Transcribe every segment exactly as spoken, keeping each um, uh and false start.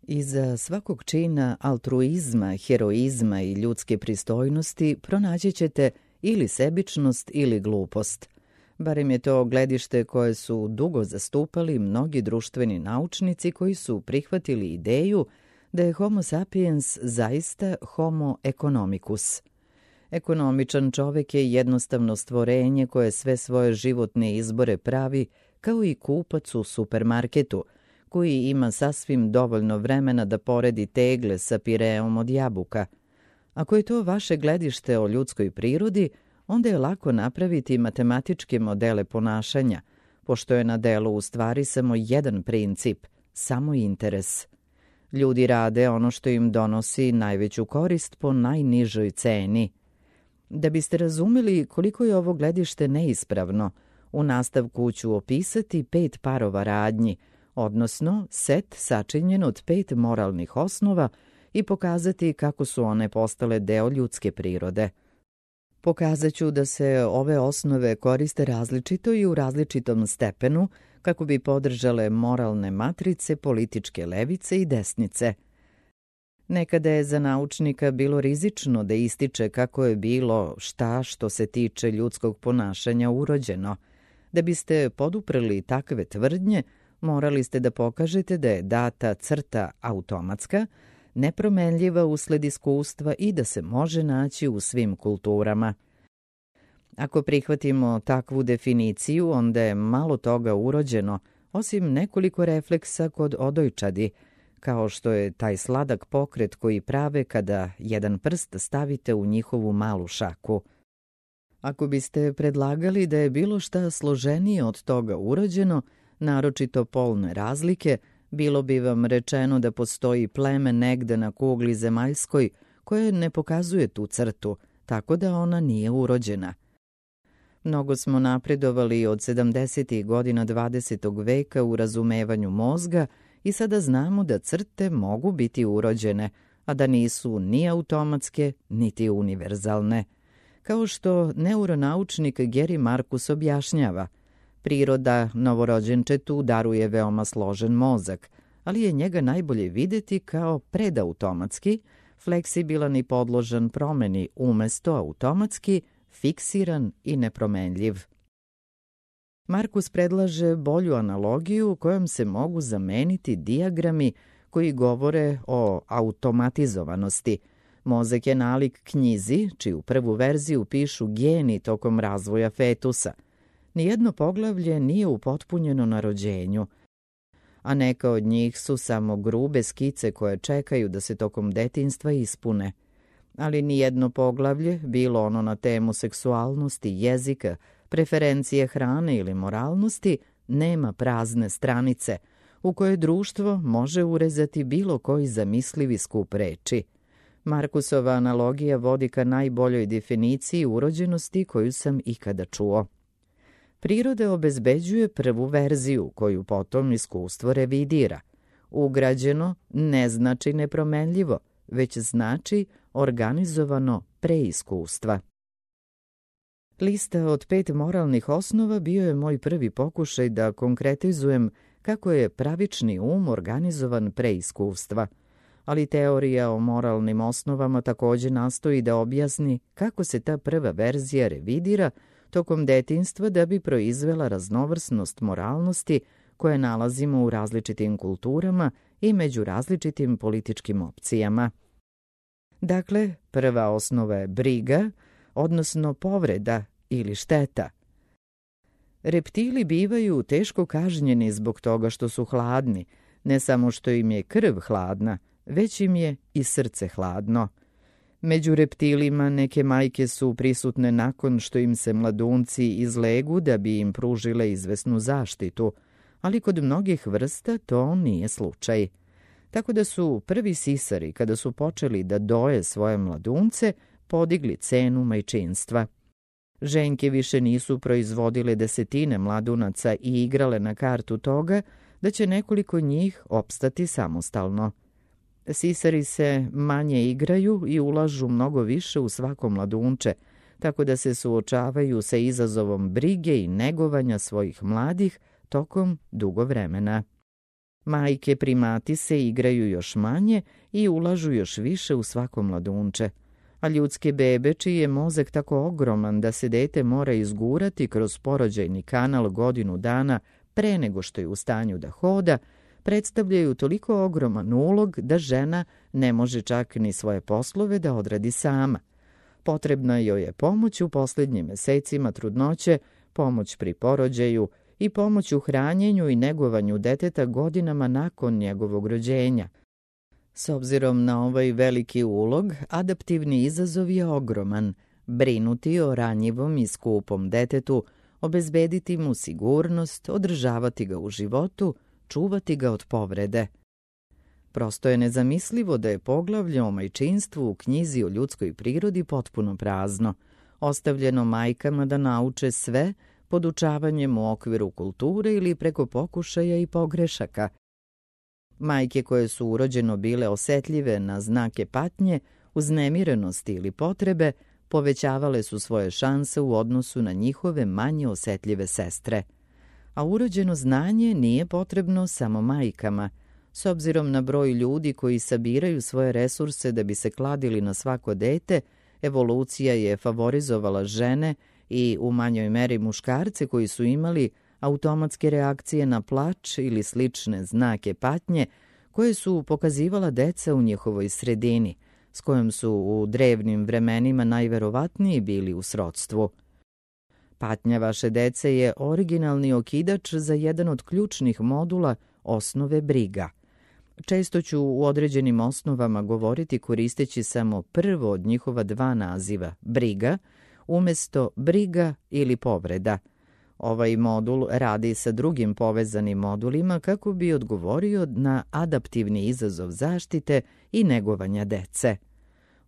Iza svakog čina altruizma, heroizma i ljudske pristojnosti pronaći ćete ili sebičnost ili glupost. Barem je to gledište koje su dugo zastupali mnogi društveni naučnici koji su prihvatili ideju da je homo sapiens zaista homo economicus. Ekonomičan čovek je jednostavno stvorenje koje sve svoje životne izbore pravi kao i kupac u supermarketu, koji ima sasvim dovoljno vremena da poredi tegle sa pireom od jabuka. Ako je to vaše gledište o ljudskoj prirodi, onda je lako napraviti matematičke modele ponašanja, pošto je na delu u stvari samo jedan princip, samo interes. Ljudi rade ono što im donosi najveću korist po najnižoj ceni. Da biste razumeli koliko je ovo gledište neispravno, u nastavku ću opisati pet parova radnji, odnosno set sačinjen od pet moralnih osnova i pokazati kako su one postale deo ljudske prirode. Pokazat ću da se ove osnove koriste različito i u različitom stepenu kako bi podržale moralne matrice političke levice i desnice. Nekada je za naučnika bilo rizično da ističe kako je bilo šta što se tiče ljudskog ponašanja urođeno. Da biste poduprli takve tvrdnje, morali ste da pokažete da je data crta automatska, nepromenljiva usled iskustva i da se može naći u svim kulturama. Ako prihvatimo takvu definiciju, onda je malo toga urođeno, osim nekoliko refleksa kod odojčadi, kao što je taj sladak pokret koji prave kada jedan prst stavite u njihovu malu šaku. Ako biste predlagali da je bilo šta složenije od toga urođeno, naročito polne razlike, bilo bi vam rečeno da postoji pleme negde na kugli zemaljskoj koje ne pokazuje tu crtu, tako da ona nije urođena. Mnogo smo napredovali od sedamdesetih godina dvadesetog veka u razumevanju mozga i sada znamo da crte mogu biti urođene, a da nisu ni automatske, niti univerzalne. Kao što neuronaučnik Gary Marcus objašnjava, priroda novorođenčetu daruje veoma složen mozak, ali je njega najbolje videti kao predautomatski, fleksibilan i podložan promeni umesto automatski, fiksiran i nepromenljiv. Markus predlaže bolju analogiju kojom se mogu zameniti dijagrami koji govore o automatizovanosti. Mozak je nalik knjizi, čiju prvu verziju pišu geni tokom razvoja fetusa. Nijedno poglavlje nije upotpunjeno na rođenju, a neka od njih su samo grube skice koje čekaju da se tokom detinjstva ispune. Ali nijedno poglavlje, bilo ono na temu seksualnosti, jezika, preferencije hrane ili moralnosti, nema prazne stranice u koje društvo može urezati bilo koji zamislivi skup reči. Markusova analogija vodi ka najboljoj definiciji urođenosti koju sam ikada čuo. Priroda obezbeđuje prvu verziju koju potom iskustvo revidira. Ugrađeno ne znači nepromenljivo, već znači organizovano preiskustva. Lista od pet moralnih osnova bio je moj prvi pokušaj da konkretizujem kako je pravični um organizovan preiskustva, ali teorija o moralnim osnovama takođe nastoji da objasni kako se ta prva verzija revidira tokom detinjstva da bi proizvela raznovrsnost moralnosti koje nalazimo u različitim kulturama i među različitim političkim opcijama. Dakle, prva osnova je briga, odnosno povreda ili šteta. Reptili bivaju teško kažnjeni zbog toga što su hladni, ne samo što im je krv hladna, već im je i srce hladno. Među reptilima neke majke su prisutne nakon što im se mladunci izlegu da bi im pružile izvesnu zaštitu, ali kod mnogih vrsta to nije slučaj. Tako da su prvi sisari, kada su počeli da doje svoje mladunce, podigli cenu majčinstva. Ženke više nisu proizvodile desetine mladunaca i igrale na kartu toga da će nekoliko njih opstati samostalno. Sisari se manje igraju i ulažu mnogo više u svako mladunče, tako da se suočavaju sa izazovom brige i negovanja svojih mladih tokom dugo vremena. Majke primati se igraju još manje i ulažu još više u svako mladunče, a ljudske bebe, čiji je mozak tako ogroman da se dete mora izgurati kroz porođajni kanal godinu dana pre nego što je u stanju da hoda, predstavljaju toliko ogroman ulog da žena ne može čak ni svoje poslove da odradi sama. Potrebna joj je pomoć u posljednjim mesecima trudnoće, pomoć pri porođaju i pomoć u hranjenju i negovanju deteta godinama nakon njegovog rođenja. S obzirom na ovaj veliki ulog, adaptivni izazov je ogroman. Brinuti o ranjivom i skupom detetu, obezbediti mu sigurnost, održavati ga u životu, čuvati ga od povrede. Prosto je nezamislivo da je poglavlje o majčinstvu u knjizi o ljudskoj prirodi potpuno prazno, ostavljeno majkama da nauče sve podučavanjem u okviru kulture ili preko pokušaja i pogrešaka. Majke koje su urođeno bile osetljive na znake patnje, uznemirenosti ili potrebe, povećavale su svoje šanse u odnosu na njihove manje osetljive sestre. A urođeno znanje nije potrebno samo majkama. S obzirom na broj ljudi koji sabiraju svoje resurse da bi se kladili na svako dete, evolucija je favorizovala žene i u manjoj meri muškarce koji su imali automatske reakcije na plač ili slične znake patnje koje su pokazivala deca u njihovoj sredini, s kojom su u drevnim vremenima najverovatniji bili u srodstvu. Patnja vaše dece je originalni okidač za jedan od ključnih modula osnove briga. Često ću u određenim osnovama govoriti koristeći samo prvo od njihova dva naziva, briga, umjesto briga ili povreda. Ovaj modul radi sa drugim povezanim modulima kako bi odgovorio na adaptivni izazov zaštite i negovanja dece.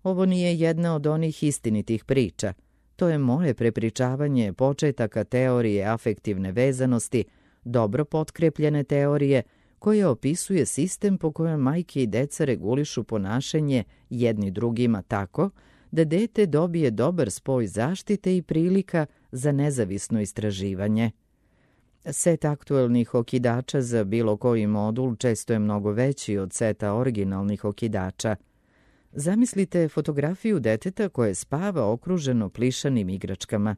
Ovo nije jedna od onih istinitih priča. To je moje prepričavanje početaka teorije afektivne vezanosti, dobro potkrepljene teorije, koja opisuje sistem po kojem majke i deca regulišu ponašanje jedni drugima tako da dete dobije dobar spoj zaštite i prilika za nezavisno istraživanje. Set aktuelnih okidača za bilo koji modul često je mnogo veći od seta originalnih okidača. Zamislite fotografiju deteta koje spava okruženo plišanim igračkama.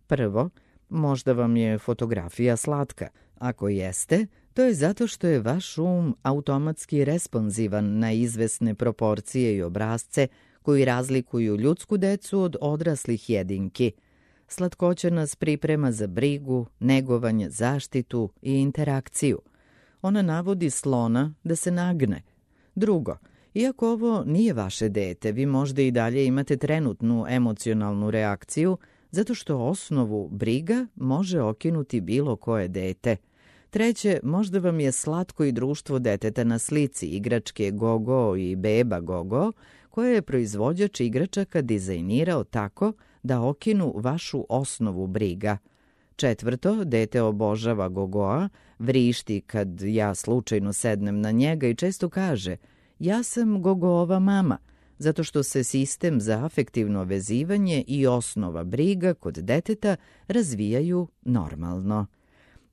Prvo, možda vam je fotografija slatka. Ako jeste, to je zato što je vaš um automatski responzivan na izvesne proporcije i obrazce koji razlikuju ljudsku decu od odraslih jedinki. Slatkoća nas priprema za brigu, negovanje, zaštitu i interakciju. Ona navodi slona da se nagne. Drugo, iako ovo nije vaše dete, vi možda i dalje imate trenutnu emocionalnu reakciju zato što osnovu briga može okinuti bilo koje dete. Treće, možda vam je slatko i društvo deteta na slici igračke Gogo i beba Gogo, koje je proizvođač igračaka dizajnirao tako da okinu vašu osnovu briga. Četvrto, dete obožava Gogoa, vrišti kad ja slučajno sednem na njega i često kaže ja sam Gogoova mama, zato što se sistem za afektivno vezivanje i osnova briga kod deteta razvijaju normalno.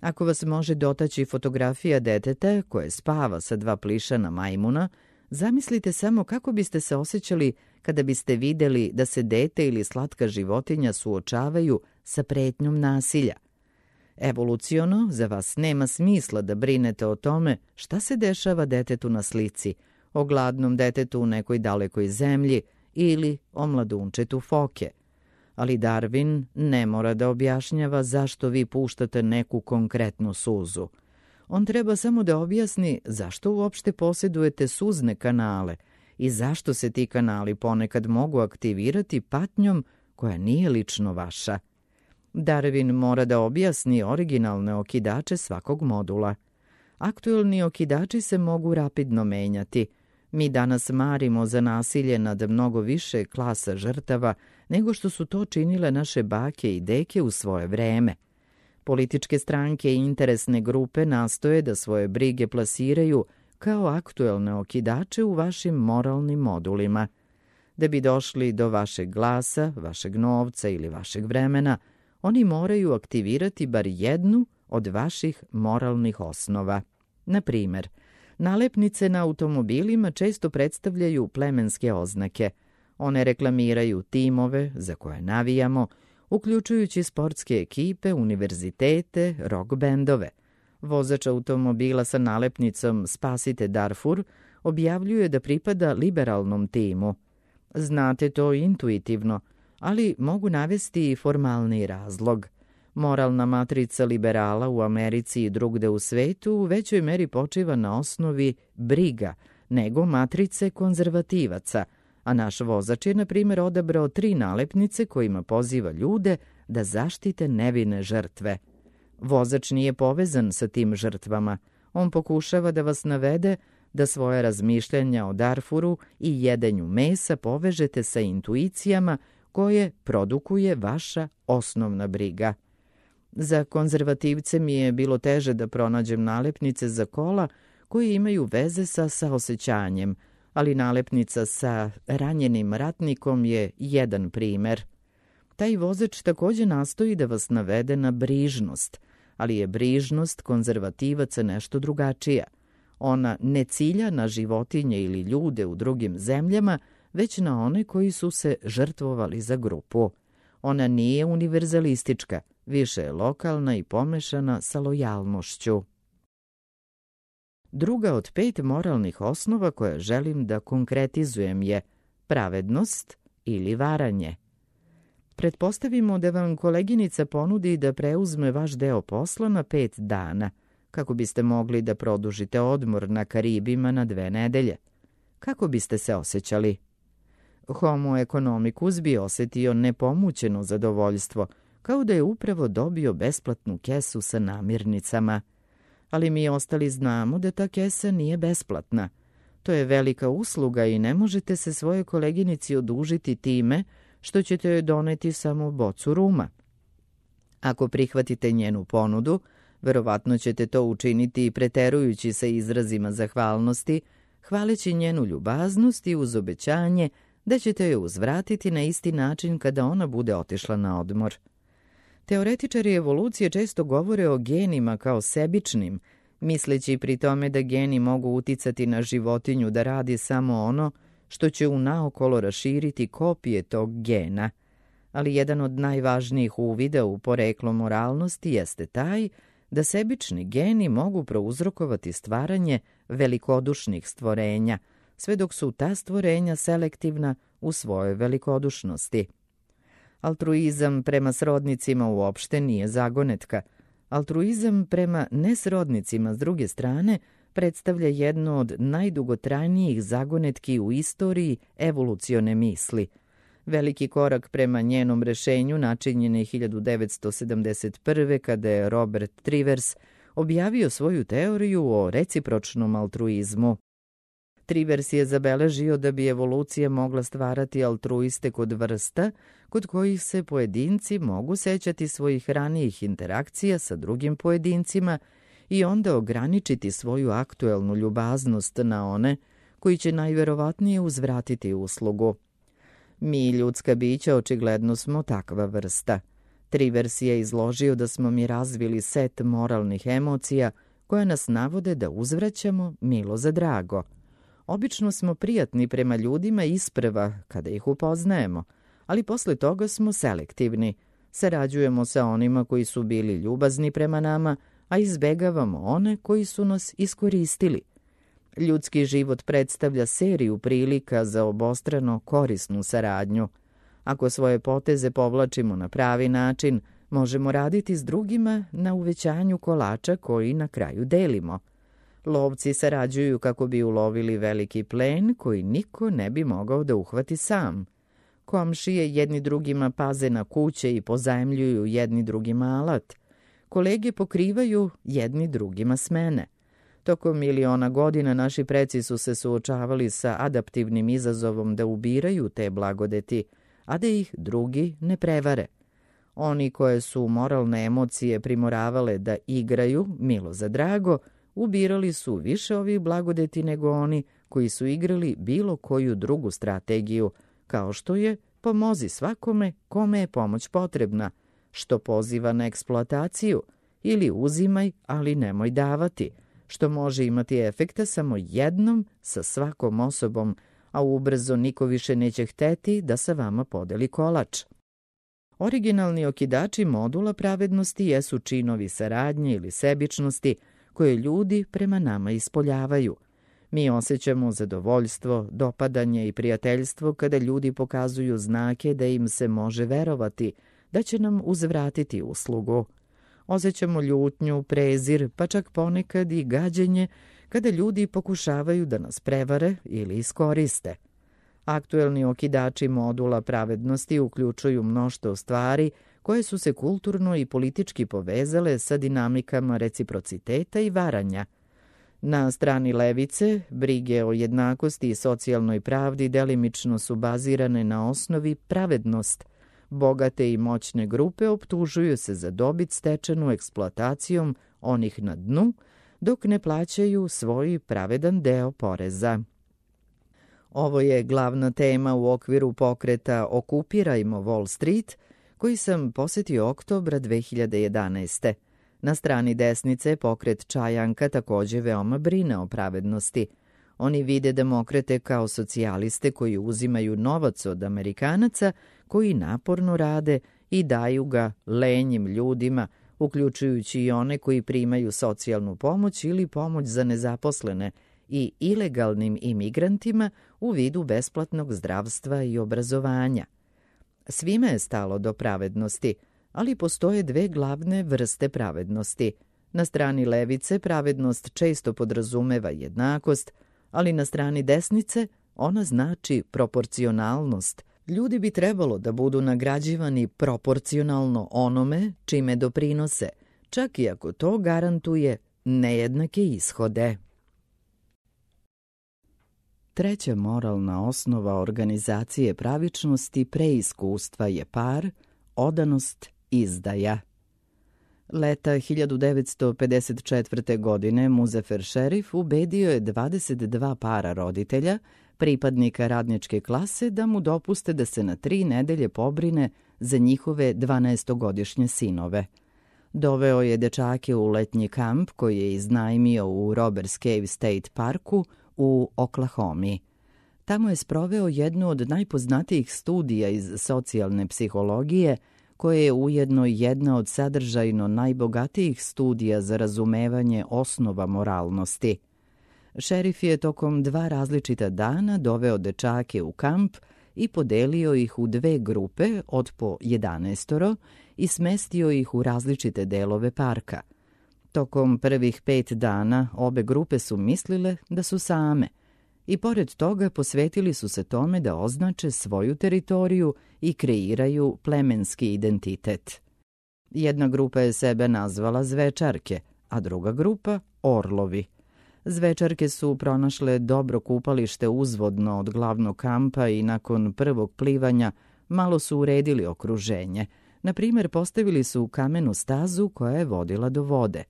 Ako vas može dotaći fotografija deteta koje spava sa dva plišana majmuna, zamislite samo kako biste se osjećali kada biste vidjeli da se dete ili slatka životinja suočavaju sa pretnjom nasilja. Evoluciono, za vas nema smisla da brinete o tome šta se dešava detetu na slici, o gladnom detetu u nekoj dalekoj zemlji ili o mladunčetu foke. Ali Darwin ne mora da objašnjava zašto vi puštate neku konkretnu suzu. On treba samo da objasni zašto uopšte posjedujete suzne kanale i zašto se ti kanali ponekad mogu aktivirati patnjom koja nije lično vaša. Darwin mora da objasni originalne okidače svakog modula. Aktuelni okidači se mogu rapidno menjati. Mi danas marimo za nasilje nad mnogo više klasa žrtava nego što su to činile naše bake i deke u svoje vreme. Političke stranke i interesne grupe nastoje da svoje brige plasiraju kao aktuelne okidače u vašim moralnim modulima. Da bi došli do vašeg glasa, vašeg novca ili vašeg vremena, oni moraju aktivirati bar jednu od vaših moralnih osnova. Na primjer, Nalepnice na automobilima često predstavljaju plemenske oznake. One reklamiraju timove za koje navijamo, uključujući sportske ekipe, univerzitete, rock bendove. Vozač automobila sa nalepnicom Spasite Darfur objavljuje da pripada liberalnom timu. Znate to intuitivno, ali mogu navesti i formalni razlog. Moralna matrica liberala u Americi i drugde u svetu u većoj meri počiva na osnovi briga nego matrice konzervativaca, a naš vozač je, na primjer, odabrao tri nalepnice kojima poziva ljude da zaštite nevine žrtve. Vozač nije povezan sa tim žrtvama. On pokušava da vas navede da svoje razmišljanja o Darfuru i jedenju mesa povežete sa intuicijama koje produkuje vaša osnovna briga. Za konzervativce mi je bilo teže da pronađem nalepnice za kola koje imaju veze sa saosećanjem, ali nalepnica sa ranjenim ratnikom je jedan primer. Taj vozač takođe nastoji da vas navede na brižnost, ali je brižnost konzervativaca nešto drugačija. Ona ne cilja na životinje ili ljude u drugim zemljama, već na one koji su se žrtvovali za grupu. Ona nije univerzalistička, više je lokalna i pomešana sa lojalnošću. Druga od pet moralnih osnova koje želim da konkretizujem je pravednost ili varanje. Pretpostavimo da vam koleginica ponudi da preuzme vaš deo posla na pet dana, kako biste mogli da produžite odmor na Karibima na dve nedelje. Kako biste se osjećali? Homo economicus bi osetio nepomućeno zadovoljstvo, kao da je upravo dobio besplatnu kesu sa namirnicama. Ali mi ostali znamo da ta kesa nije besplatna. To je velika usluga i ne možete se svojoj koleginici odužiti time što ćete joj doneti samo bocu ruma. Ako prihvatite njenu ponudu, verovatno ćete to učiniti preterujući sa izrazima zahvalnosti, hvaleći njenu ljubaznost i uz obećanje da ćete joj uzvratiti na isti način kada ona bude otišla na odmor. Teoretičari evolucije često govore o genima kao sebičnim, misleći pri tome da geni mogu uticati na životinju da radi samo ono što će unaokolo raširiti kopije tog gena. Ali jedan od najvažnijih uvida u poreklo moralnosti jeste taj da sebični geni mogu prouzrokovati stvaranje velikodušnih stvorenja, sve dok su ta stvorenja selektivna u svojoj velikodušnosti. Altruizam prema srodnicima uopšte nije zagonetka. Altruizam prema nesrodnicima, s druge strane, predstavlja jednu od najdugotrajnijih zagonetki u istoriji evolucione misli. Veliki korak prema njenom rešenju načinjen je hiljadu devetsto sedamdeset prve. kada je Robert Trivers objavio svoju teoriju o recipročnom altruizmu. Trivers je zabeležio da bi evolucija mogla stvarati altruiste kod vrsta, kod kojih se pojedinci mogu sećati svojih ranijih interakcija sa drugim pojedincima i onda ograničiti svoju aktuelnu ljubaznost na one koji će najverovatnije uzvratiti uslugu. Mi, ljudska bića, očigledno smo takva vrsta. Trivers je izložio da smo mi razvili set moralnih emocija koje nas navode da uzvraćamo milo za drago. Obično smo prijatni prema ljudima isprva kada ih upoznajemo, ali posle toga smo selektivni. Sarađujemo sa onima koji su bili ljubazni prema nama, a izbegavamo one koji su nas iskoristili. Ljudski život predstavlja seriju prilika za obostrano korisnu saradnju. Ako svoje poteze povlačimo na pravi način, možemo raditi s drugima na uvećanju kolača koji na kraju delimo. Lovci sarađuju kako bi ulovili veliki plen koji niko ne bi mogao da uhvati sam. Komšije jedni drugima paze na kuće i pozajmljuju jedni drugima alat. Kolege pokrivaju jedni drugima smene. Tokom miliona godina naši preci su se suočavali sa adaptivnim izazovom da ubiraju te blagodeti, a da ih drugi ne prevare. Oni koje su moralne emocije primoravale da igraju, milo za drago, ubirali su više ovih blagodeti nego oni koji su igrali bilo koju drugu strategiju, kao što je pomozi svakome kome je pomoć potrebna, što poziva na eksploataciju, ili uzimaj, ali nemoj davati, što može imati efekta samo jednom sa svakom osobom, a ubrzo niko više neće hteti da sa vama podeli kolač. Originalni okidači modula pravednosti jesu činovi saradnje ili sebičnosti koje ljudi prema nama ispoljavaju. Mi osjećamo zadovoljstvo, dopadanje i prijateljstvo kada ljudi pokazuju znake da im se može verovati, da će nam uzvratiti uslugu. Osjećamo ljutnju, prezir, pa čak ponekad i gađenje kada ljudi pokušavaju da nas prevare ili iskoriste. Aktuelni okidači modula pravednosti uključuju mnoštvo stvari koje su se kulturno i politički povezale sa dinamikama reciprociteta i varanja. Na strani levice, brige o jednakosti i socijalnoj pravdi delimično su bazirane na osnovi pravednost. Bogate i moćne grupe optužuju se za dobit stečenu eksploatacijom onih na dnu, dok ne plaćaju svoj pravedan deo poreza. Ovo je glavna tema u okviru pokreta Okupirajmo Wall Street, koji sam posetio oktobra dve hiljade jedanaeste. Na strani desnice pokret Čajanka takođe veoma brine o pravednosti. Oni vide demokrate kao socijaliste koji uzimaju novac od Amerikanaca, koji naporno rade i daju ga lenjim ljudima, uključujući i one koji primaju socijalnu pomoć ili pomoć za nezaposlene, i ilegalnim imigrantima u vidu besplatnog zdravstva i obrazovanja. Svime je stalo do pravednosti, ali postoje dve glavne vrste pravednosti. Na strani levice pravednost često podrazumeva jednakost, ali na strani desnice ona znači proporcionalnost. Ljudi bi trebalo da budu nagrađivani proporcionalno onome čime doprinose, čak i ako to garantuje nejednake ishode. Treća moralna osnova organizacije pravičnosti pre iskustva je par, odanost, izdaja. Leta hiljadu devetsto pedeset četvrte. godine Muzafer Šerif ubedio je dvadeset dva para roditelja, pripadnika radničke klase, da mu dopuste da se na tri nedelje pobrine za njihove dvanaestogodišnje sinove. Doveo je dečake u letnji kamp koji je iznajmio u Robbers Cave State Parku u Oklahomi. Tamo je sproveo jednu od najpoznatijih studija iz socijalne psihologije, koja je ujedno jedna od sadržajno najbogatijih studija za razumevanje osnova moralnosti. Šerif je tokom dva različita dana doveo dečake u kamp i podelio ih u dve grupe od po jedanaestoro i smestio ih u različite delove parka. Tokom prvih pet dana obe grupe su mislile da su same i pored toga posvetili su se tome da označe svoju teritoriju i kreiraju plemenski identitet. Jedna grupa je sebe nazvala zvečarke, a druga grupa orlovi. Zvečarke su pronašle dobro kupalište uzvodno od glavnog kampa i nakon prvog plivanja malo su uredili okruženje. Na primjer, postavili su kamenu stazu koja je vodila do vode.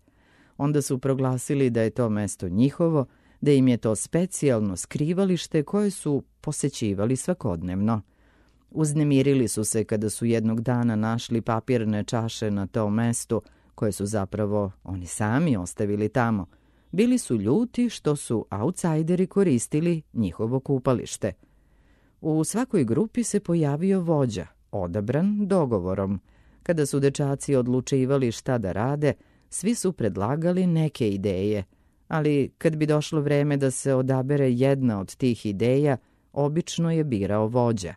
Onda su proglasili da je to mesto njihovo, da im je to specijalno skrivalište koje su posećivali svakodnevno. Uznemirili su se kada su jednog dana našli papirne čaše na tom mestu, koje su zapravo oni sami ostavili tamo. Bili su ljuti što su autsajderi koristili njihovo kupalište. U svakoj grupi se pojavio vođa, odabran dogovorom. Kada su dečaci odlučivali šta da rade, svi su predlagali neke ideje, ali kad bi došlo vreme da se odabere jedna od tih ideja, obično je birao vođa.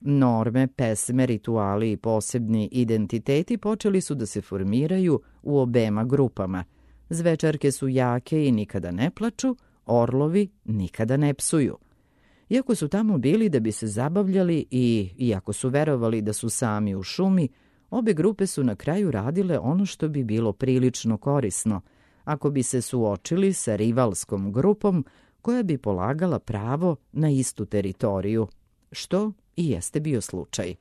Norme, pesme, rituali i posebni identiteti počeli su da se formiraju u obema grupama. Zvečarke su jake i nikada ne plaču, orlovi nikada ne psuju. Iako su tamo bili da bi se zabavljali i iako su verovali da su sami u šumi, obe grupe su na kraju radile ono što bi bilo prilično korisno, ako bi se suočili sa rivalskom grupom koja bi polagala pravo na istu teritoriju, što i jeste bio slučaj.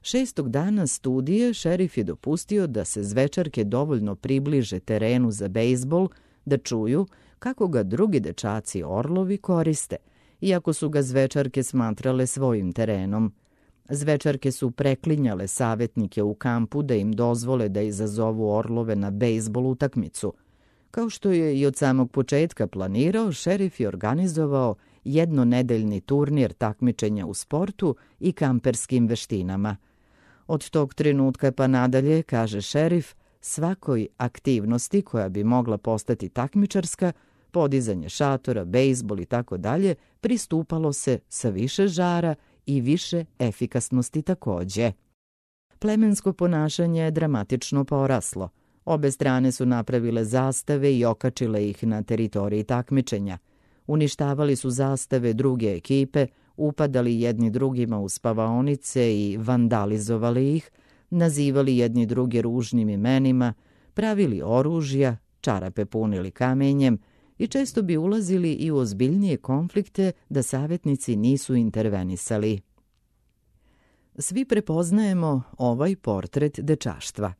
Šestog dana studije šerif je dopustio da se zvečarke dovoljno približe terenu za bejzbol, da čuju kako ga drugi dečaci orlovi koriste, iako su ga zvečarke smatrale svojim terenom. Zvečarke su preklinjale savjetnike u kampu da im dozvole da izazovu orlove na bejzbol utakmicu. Kao što je i od samog početka planirao, šerif je organizovao jednonedeljni turnir takmičenja u sportu i kamperskim veštinama. Od tog trenutka pa nadalje, kaže šerif, svakoj aktivnosti koja bi mogla postati takmičarska, podizanje šatora, bejzbol i tako dalje, pristupalo se sa više žara i više efikasnosti takođe. Plemensko ponašanje je dramatično poraslo. Obe strane su napravile zastave i okačile ih na teritoriji takmičenja. Uništavali su zastave druge ekipe, upadali jedni drugima u spavaonice i vandalizovali ih, nazivali jedni druge ružnim imenima, pravili oružja, čarape punili kamenjem i često bi ulazili i u ozbiljnije konflikte da savjetnici nisu intervenisali. Svi prepoznajemo ovaj portret dečaštva.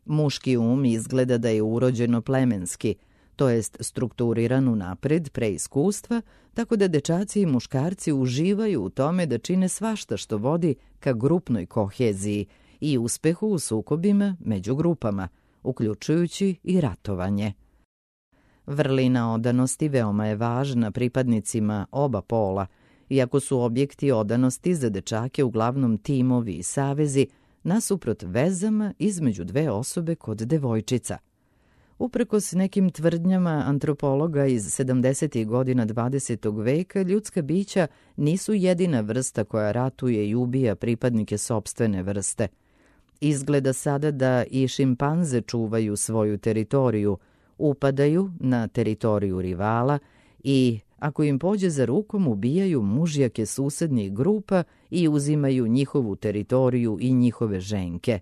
Muški um izgleda da je urođeno plemenski, to jest strukturiran unapred pre iskustva, tako da dečaci i muškarci uživaju u tome da čine svašta što vodi ka grupnoj koheziji i uspehu u sukobima među grupama, uključujući i ratovanje. Vrlina odanosti veoma je važna pripadnicima oba pola, iako su objekti odanosti za dečake uglavnom timovi i savezi, nasuprot vezama između dve osobe kod devojčica. Uprkos nekim tvrdnjama antropologa iz sedamdesetih godina dvadesetog veka, ljudska bića nisu jedina vrsta koja ratuje i ubija pripadnike sopstvene vrste. Izgleda sada da i šimpanze čuvaju svoju teritoriju, upadaju na teritoriju rivala i, ako im pođe za rukom, ubijaju mužjake susednih grupa i uzimaju njihovu teritoriju i njihove ženke.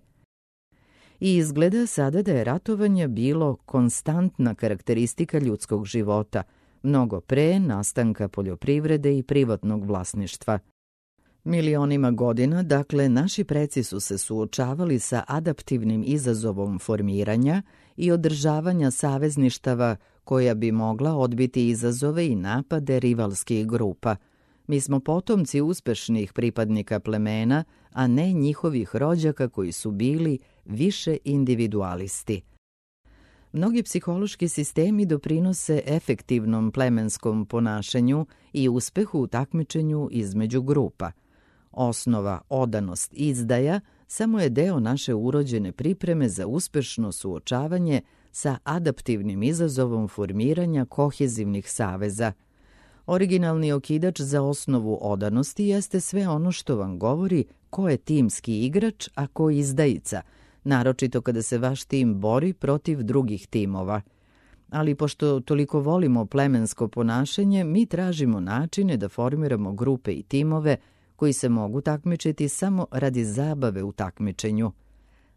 I izgleda sada da je ratovanje bilo konstantna karakteristika ljudskog života, mnogo pre nastanka poljoprivrede i privatnog vlasništva. Milionima godina, dakle, naši preci su se suočavali sa adaptivnim izazovom formiranja i održavanja savezništava koja bi mogla odbiti izazove i napade rivalskih grupa. Mi smo potomci uspešnih pripadnika plemena, a ne njihovih rođaka koji su bili više individualisti. Mnogi psihološki sistemi doprinose efektivnom plemenskom ponašanju i uspehu u takmičenju između grupa. Osnova odanost izdaja samo je deo naše urođene pripreme za uspešno suočavanje sa adaptivnim izazovom formiranja kohezivnih saveza. Originalni okidač za osnovu odanosti jeste sve ono što vam govori ko je timski igrač, a ko izdajica, naročito kada se vaš tim bori protiv drugih timova. Ali pošto toliko volimo plemensko ponašanje, mi tražimo načine da formiramo grupe i timove koji se mogu takmičiti samo radi zabave u takmičenju.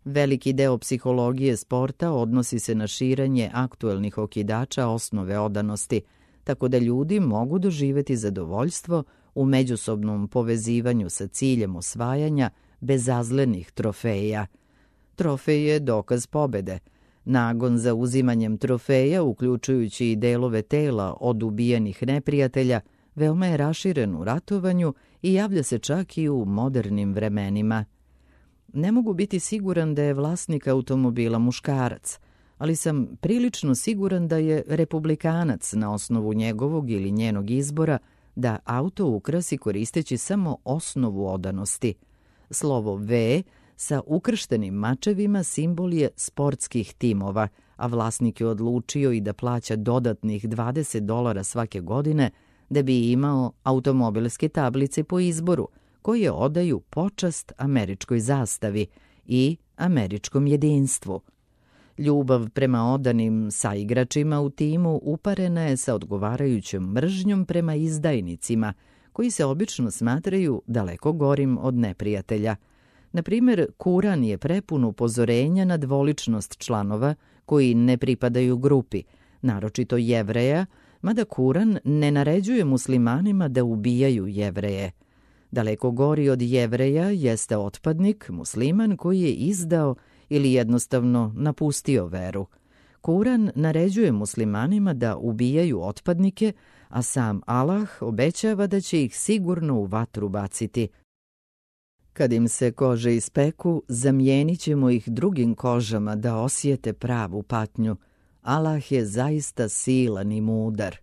Veliki deo psihologije sporta odnosi se na širenje aktuelnih okidača osnove odanosti, tako da ljudi mogu doživeti zadovoljstvo u međusobnom povezivanju sa ciljem osvajanja bezazlenih trofeja. Trofej je dokaz pobede. Nagon za uzimanjem trofeja, uključujući i delove tela od ubijenih neprijatelja, veoma je raširen u ratovanju i javlja se čak i u modernim vremenima. Ne mogu biti siguran da je vlasnik automobila muškarac, ali sam prilično siguran da je republikanac na osnovu njegovog ili njenog izbora da auto ukrasi koristeći samo osnovu odanosti. Slovo V sa ukrštenim mačevima simbol je sportskih timova, a vlasnik je odlučio i da plaća dodatnih dvadeset dolara svake godine da bi imao automobilske tablice po izboru, koje odaju počast američkoj zastavi i američkom jedinstvu. Ljubav prema odanim saigračima u timu uparena je sa odgovarajućom mržnjom prema izdajnicima, koji se obično smatraju daleko gorim od neprijatelja. Na primjer, Kuran je prepun upozorenja na dvoličnost članova koji ne pripadaju grupi, naročito Jevreja, mada Kuran ne naređuje muslimanima da ubijaju Jevreje. Daleko gori od Jevreja jeste otpadnik, musliman koji je izdao ili jednostavno napustio veru. Kuran naređuje muslimanima da ubijaju otpadnike, a sam Allah obećava da će ih sigurno u vatru baciti. Kad im se kože ispeku, zamijenit ćemo ih drugim kožama da osjete pravu patnju, Allah je zaista silan i mudar.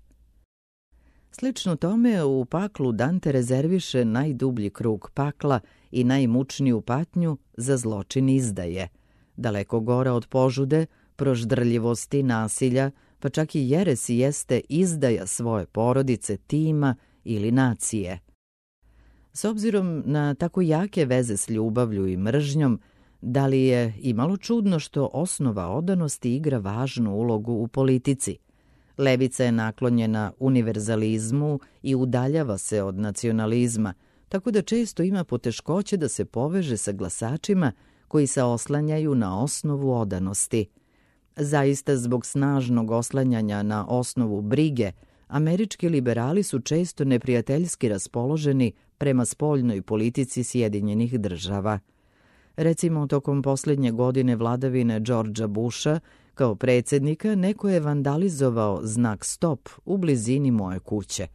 Slično tome u paklu Dante rezerviše najdublji krug pakla i najmučniju patnju za zločin izdaje. Daleko gora od požude, proždrljivosti, nasilja, pa čak i jeresi jeste izdaja svoje porodice, tima ili nacije. S obzirom na tako jake veze s ljubavlju i mržnjom, da li je imalo čudno što osnova odanosti igra važnu ulogu u politici? Levica je naklonjena univerzalizmu i udaljava se od nacionalizma, tako da često ima poteškoće da se poveže sa glasačima koji se oslanjaju na osnovu odanosti. Zaista, zbog snažnog oslanjanja na osnovu brige, američki liberali su često neprijateljski raspoloženi prema spoljnoj politici Sjedinjenih država. Recimo, tokom posljednje godine vladavine Georgea Busha, kao predsjednika, neko je vandalizovao znak stop u blizini moje kuće.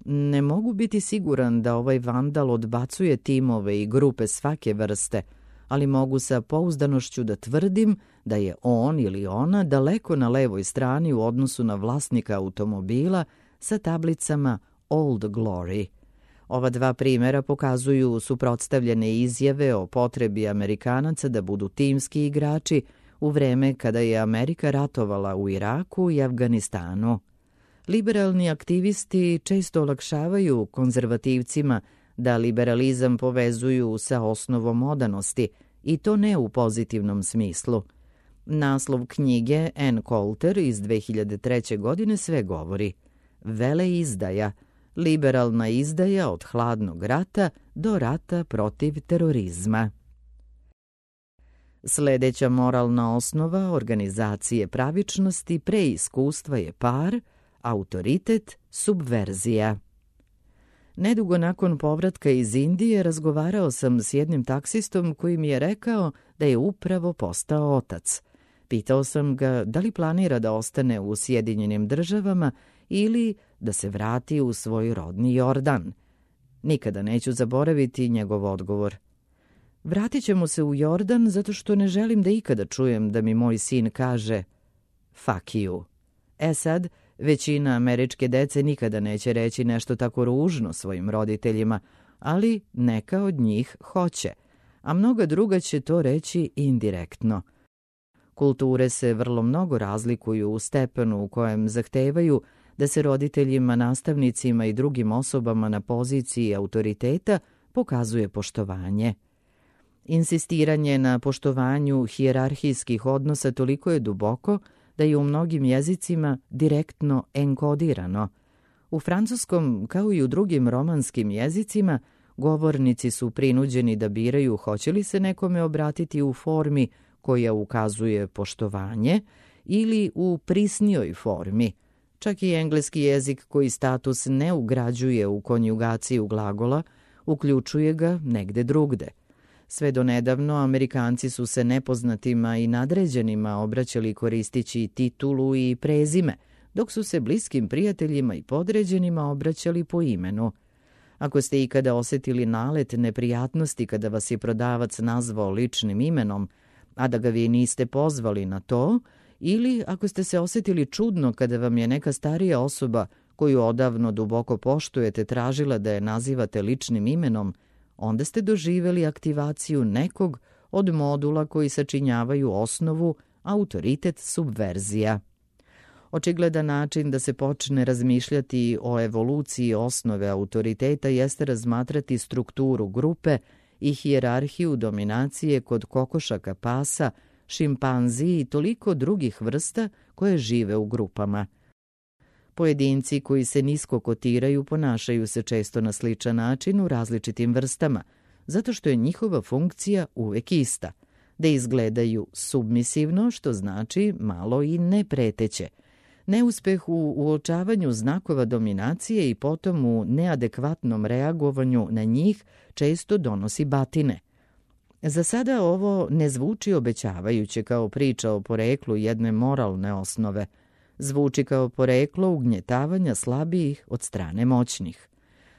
Ne mogu biti siguran da ovaj vandal odbacuje timove i grupe svake vrste, ali mogu sa pouzdanošću da tvrdim da je on ili ona daleko na levoj strani u odnosu na vlasnika automobila sa tablicama Old Glory. Ova dva primjera pokazuju suprotstavljene izjave o potrebi Amerikanaca da budu timski igrači u vreme kada je Amerika ratovala u Iraku i Afganistanu. Liberalni aktivisti često olakšavaju konzervativcima da liberalizam povezuju sa osnovom odanosti, i to ne u pozitivnom smislu. Naslov knjige Ann Coulter iz dve hiljade treće. godine sve govori: Veleizdaja, liberalna izdaja od hladnog rata do rata protiv terorizma. Sljedeća moralna osnova organizacije pravičnosti pre iskustva je par, autoritet, subverzija. Nedugo nakon povratka iz Indije razgovarao sam s jednim taksistom koji mi je rekao da je upravo postao otac. Pitao sam ga da li planira da ostane u Sjedinjenim državama ili da se vrati u svoj rodni Jordan. Nikada neću zaboraviti njegov odgovor. Vratit ćemo se u Jordan zato što ne želim da ikada čujem da mi moj sin kaže fuck you. E sad, većina američke dece nikada neće reći nešto tako ružno svojim roditeljima, ali neka od njih hoće, a mnoga druga će to reći indirektno. Kulture se vrlo mnogo razlikuju u stepenu u kojem zahtevaju da se roditeljima, nastavnicima i drugim osobama na poziciji autoriteta pokazuje poštovanje. Insistiranje na poštovanju hijerarhijskih odnosa toliko je duboko da je u mnogim jezicima direktno enkodirano. U francuskom, kao i u drugim romanskim jezicima, govornici su prinuđeni da biraju hoće li se nekome obratiti u formi koja ukazuje poštovanje ili u prisnijoj formi. Čak i engleski jezik koji status ne ugrađuje u konjugaciju glagola, uključuje ga negde drugde. Sve do nedavno Amerikanci su se nepoznatima i nadređenima obraćali koristići titulu i prezime, dok su se bliskim prijateljima i podređenima obraćali po imenu. Ako ste ikada osjetili nalet neprijatnosti kada vas je prodavac nazvao ličnim imenom, a da ga vi niste pozvali na to, ili ako ste se osjetili čudno kada vam je neka starija osoba koju odavno duboko poštujete tražila da je nazivate ličnim imenom, onda ste doživjeli aktivaciju nekog od modula koji sačinjavaju osnovu autoritet subverzija. Očigledan način da se počne razmišljati o evoluciji osnove autoriteta jeste razmatrati strukturu grupe i hijerarhiju dominacije kod kokošaka pasa, šimpanzi i toliko drugih vrsta koje žive u grupama. Pojedinci koji se nisko kotiraju ponašaju se često na sličan način u različitim vrstama, zato što je njihova funkcija uvek ista, da izgledaju submisivno, što znači malo i nepreteće. Neuspeh u uočavanju znakova dominacije i potom u neadekvatnom reagovanju na njih često donosi batine. Za sada ovo ne zvuči obećavajuće kao priča o poreklu jedne moralne osnove. Zvuči kao poreklo ugnjetavanja slabijih od strane moćnih.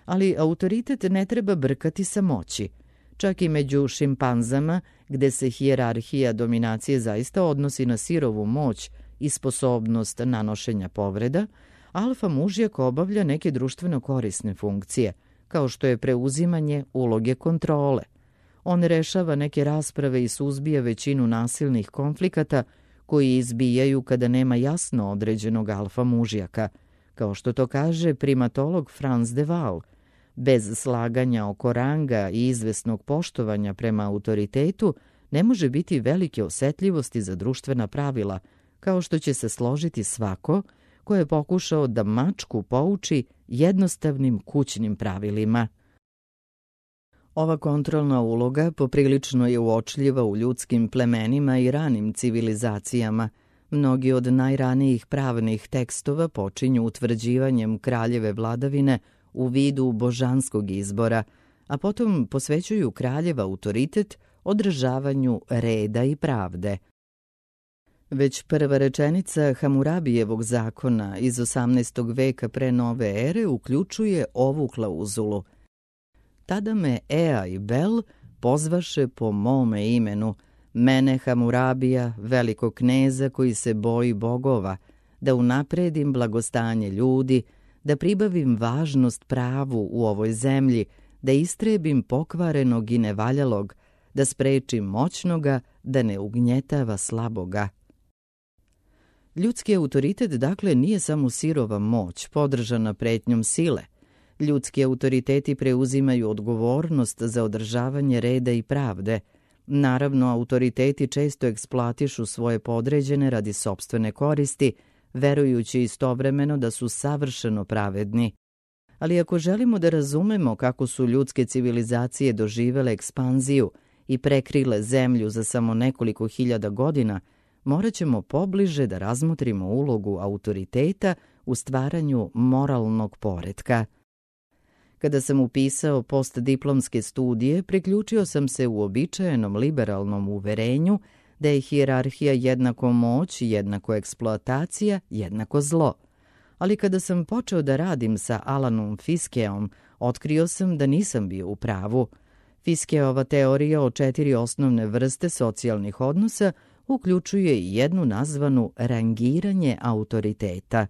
Ali autoritet ne treba brkati sa moći. Čak i među šimpanzama, gde se hijerarhija dominacije zaista odnosi na sirovu moć i sposobnost nanošenja povreda, alfa mužjak obavlja neke društveno korisne funkcije, kao što je preuzimanje uloge kontrole. On rešava neke rasprave i suzbija većinu nasilnih konflikata koji izbijaju kada nema jasno određenog alfa mužjaka. Kao što to kaže primatolog Franz de Waal, bez slaganja oko ranga i izvesnog poštovanja prema autoritetu ne može biti velike osetljivosti za društvena pravila, kao što će se složiti svako ko je pokušao da mačku pouči jednostavnim kućnim pravilima. Ova kontrolna uloga poprilično je uočljiva u ljudskim plemenima i ranim civilizacijama. Mnogi od najranijih pravnih tekstova počinju utvrđivanjem kraljeve vladavine u vidu božanskog izbora, a potom posvećuju kraljev autoritet održavanju reda i pravde. Već prva rečenica Hamurabijevog zakona iz osamnaestog veka pre nove ere uključuje ovu klauzulu: Tada me Ea i Bel pozvaše po mome imenu, mene Hamurabija, velikog kneza koji se boji bogova, da unapredim blagostanje ljudi, da pribavim važnost pravu u ovoj zemlji, da istrebim pokvarenog i nevaljalog, da sprečim moćnoga, da ne ugnjetava slaboga. Ljudski autoritet, dakle, nije samo sirova moć, podržana pretnjom sile. Ljudski autoriteti preuzimaju odgovornost za održavanje reda i pravde. Naravno, autoriteti često eksploatišu svoje podređene radi sopstvene koristi, verujući istovremeno da su savršeno pravedni. Ali ako želimo da razumemo kako su ljudske civilizacije doživele ekspanziju i prekrile zemlju za samo nekoliko hiljada godina, morat ćemo pobliže da razmotrimo ulogu autoriteta u stvaranju moralnog poretka. Kada sam upisao postdiplomske studije, priključio sam se uobičajenom liberalnom uverenju da je hijerarhija jednako moć, jednako eksploatacija, jednako zlo. Ali kada sam počeo da radim sa Alanom Fiskeom, otkrio sam da nisam bio u pravu. Fiskeova teorija o četiri osnovne vrste socijalnih odnosa uključuje i jednu nazvanu rangiranje autoriteta.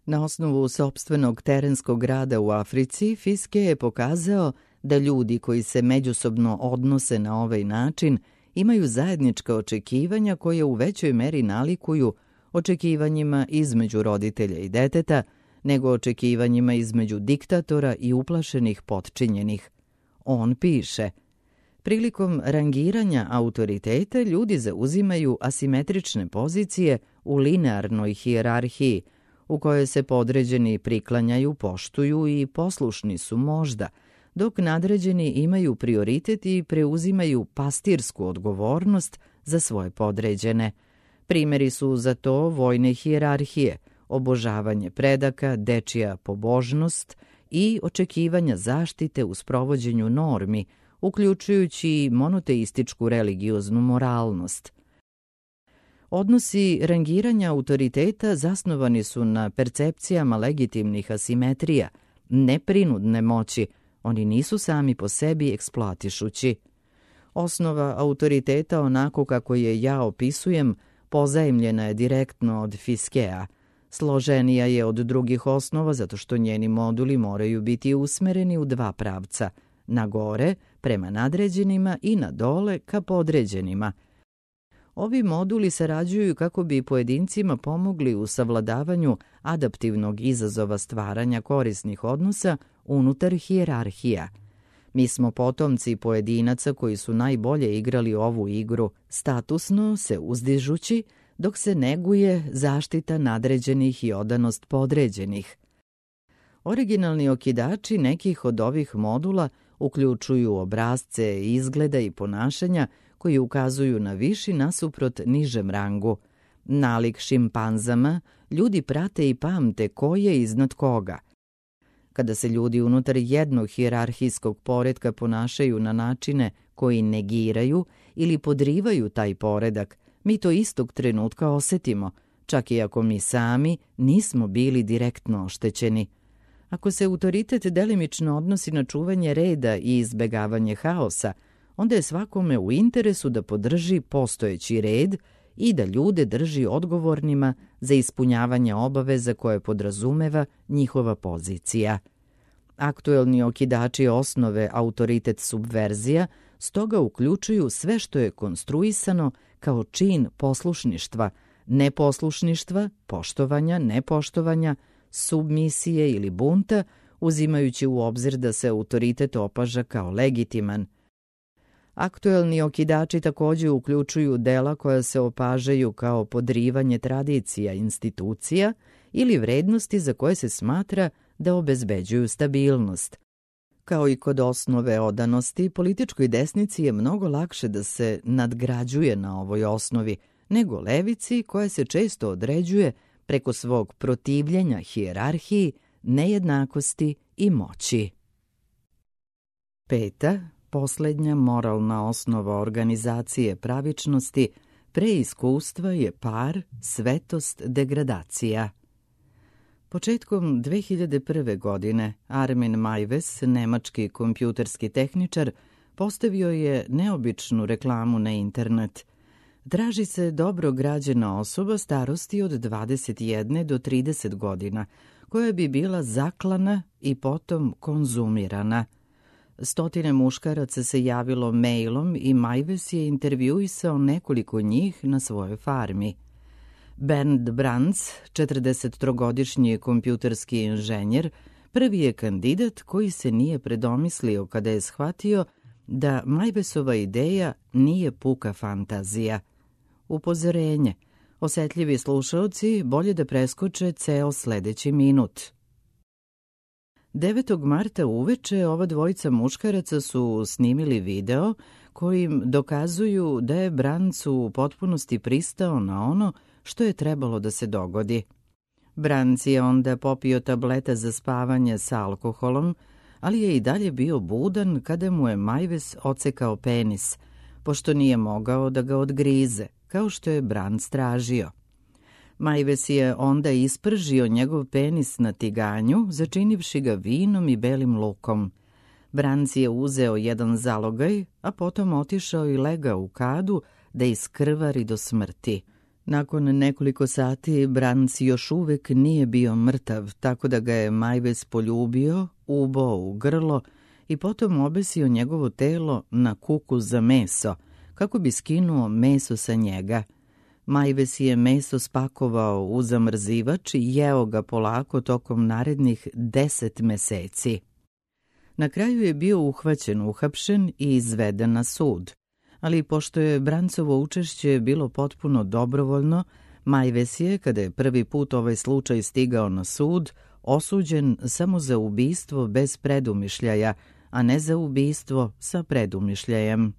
Na osnovu sopstvenog terenskog rada u Africi, Fiske je pokazao da ljudi koji se međusobno odnose na ovaj način imaju zajednička očekivanja koje u većoj meri nalikuju očekivanjima između roditelja i deteta, nego očekivanjima između diktatora i uplašenih potčinjenih. On piše: prilikom rangiranja autoriteta ljudi zauzimaju asimetrične pozicije u linearnoj hijerarhiji, u kojoj se podređeni priklanjaju, poštuju i poslušni su možda, dok nadređeni imaju prioritet i preuzimaju pastirsku odgovornost za svoje podređene. Primeri su za to vojne hijerarhije, obožavanje predaka, dečija pobožnost i očekivanja zaštite u sprovođenju normi, uključujući i monoteističku religioznu moralnost. Odnosi rangiranja autoriteta zasnovani su na percepcijama legitimnih asimetrija, neprinudne moći, oni nisu sami po sebi eksploatišući. Osnova autoriteta, onako kako je ja opisujem, pozajemljena je direktno od Fiskea. Složenija je od drugih osnova zato što njeni moduli moraju biti usmereni u dva pravca, na gore prema nadređenima i na dole ka podređenima. Ovi moduli sarađuju kako bi pojedincima pomogli u savladavanju adaptivnog izazova stvaranja korisnih odnosa unutar hijerarhija. Mi smo potomci pojedinaca koji su najbolje igrali ovu igru, statusno se uzdižući, dok se neguje zaštita nadređenih i odanost podređenih. Originalni okidači nekih od ovih modula uključuju obrazce izgleda i ponašanja koji ukazuju na viši nasuprot nižem rangu. Nalik šimpanzama, ljudi prate i pamte ko je iznad koga. Kada se ljudi unutar jednog hijerarhijskog poretka ponašaju na načine koji negiraju ili podrivaju taj poredak, mi to istog trenutka osetimo, čak i ako mi sami nismo bili direktno oštećeni. Ako se autoritet delimično odnosi na čuvanje reda i izbegavanje haosa, onda je svakome u interesu da podrži postojeći red i da ljude drži odgovornima za ispunjavanje obaveza koje podrazumeva njihova pozicija. Aktuelni okidači osnove autoritet subverzija stoga uključuju sve što je konstruisano kao čin poslušništva, neposlušništva, poštovanja, nepoštovanja, submisije ili bunta, uzimajući u obzir da se autoritet opaža kao legitiman. Aktuelni okidači također uključuju dela koja se opažaju kao podrivanje tradicija, institucija ili vrednosti za koje se smatra da obezbeđuju stabilnost. Kao i kod osnove odanosti, političkoj desnici je mnogo lakše da se nadgrađuje na ovoj osnovi nego levici koja se često određuje preko svog protivljenja hijerarhiji, nejednakosti i moći. Peta, posljednja moralna osnova organizacije pravičnosti pre iskustva je par, svetost, degradacija. Početkom dve hiljade prve. godine Armin Meiwes, nemački kompjuterski tehničar, postavio je neobičnu reklamu na internet. Traži se dobro građena osoba starosti od dvadeset jedne do trideset godina, koja bi bila zaklana i potom konzumirana. Stotine muškaraca se javilo mailom i Meiwes je intervjuisao nekoliko njih na svojoj farmi. Bernd Brands, četrdesettrogodišnji kompjuterski inženjer, prvi je kandidat koji se nije predomislio kada je shvatio da Meiwesova ideja nije puka fantazija. Upozorenje. Osetljivi slušaoci bolje da preskoče ceo sledeći minut. devetog marta uveče ova dvojica muškaraca su snimili video kojim dokazuju da je Brands u potpunosti pristao na ono što je trebalo da se dogodi. Brands je onda popio tableta za spavanje sa alkoholom, ali je i dalje bio budan kada mu je Meiwes ocekao penis, pošto nije mogao da ga odgrize, kao što je Brands tražio. Meiwes je onda ispržio njegov penis na tiganju, začinivši ga vinom i belim lukom. Brands je uzeo jedan zalogaj, a potom otišao i legao u kadu da iskrvari do smrti. Nakon nekoliko sati Brands još uvek nije bio mrtav, tako da ga je Meiwes poljubio, ubao u grlo i potom obesio njegovo telo na kuku za meso, kako bi skinuo meso sa njega. Meiwes je meso spakovao u zamrzivač i jeo ga polako tokom narednih deset meseci. Na kraju je bio uhvaćen, uhapšen i izveden na sud. Ali pošto je Brandsovo učešće bilo potpuno dobrovoljno, Meiwes je, kada je prvi put ovaj slučaj stigao na sud, osuđen samo za ubistvo bez predumišljaja, a ne za ubistvo sa predumišljajem.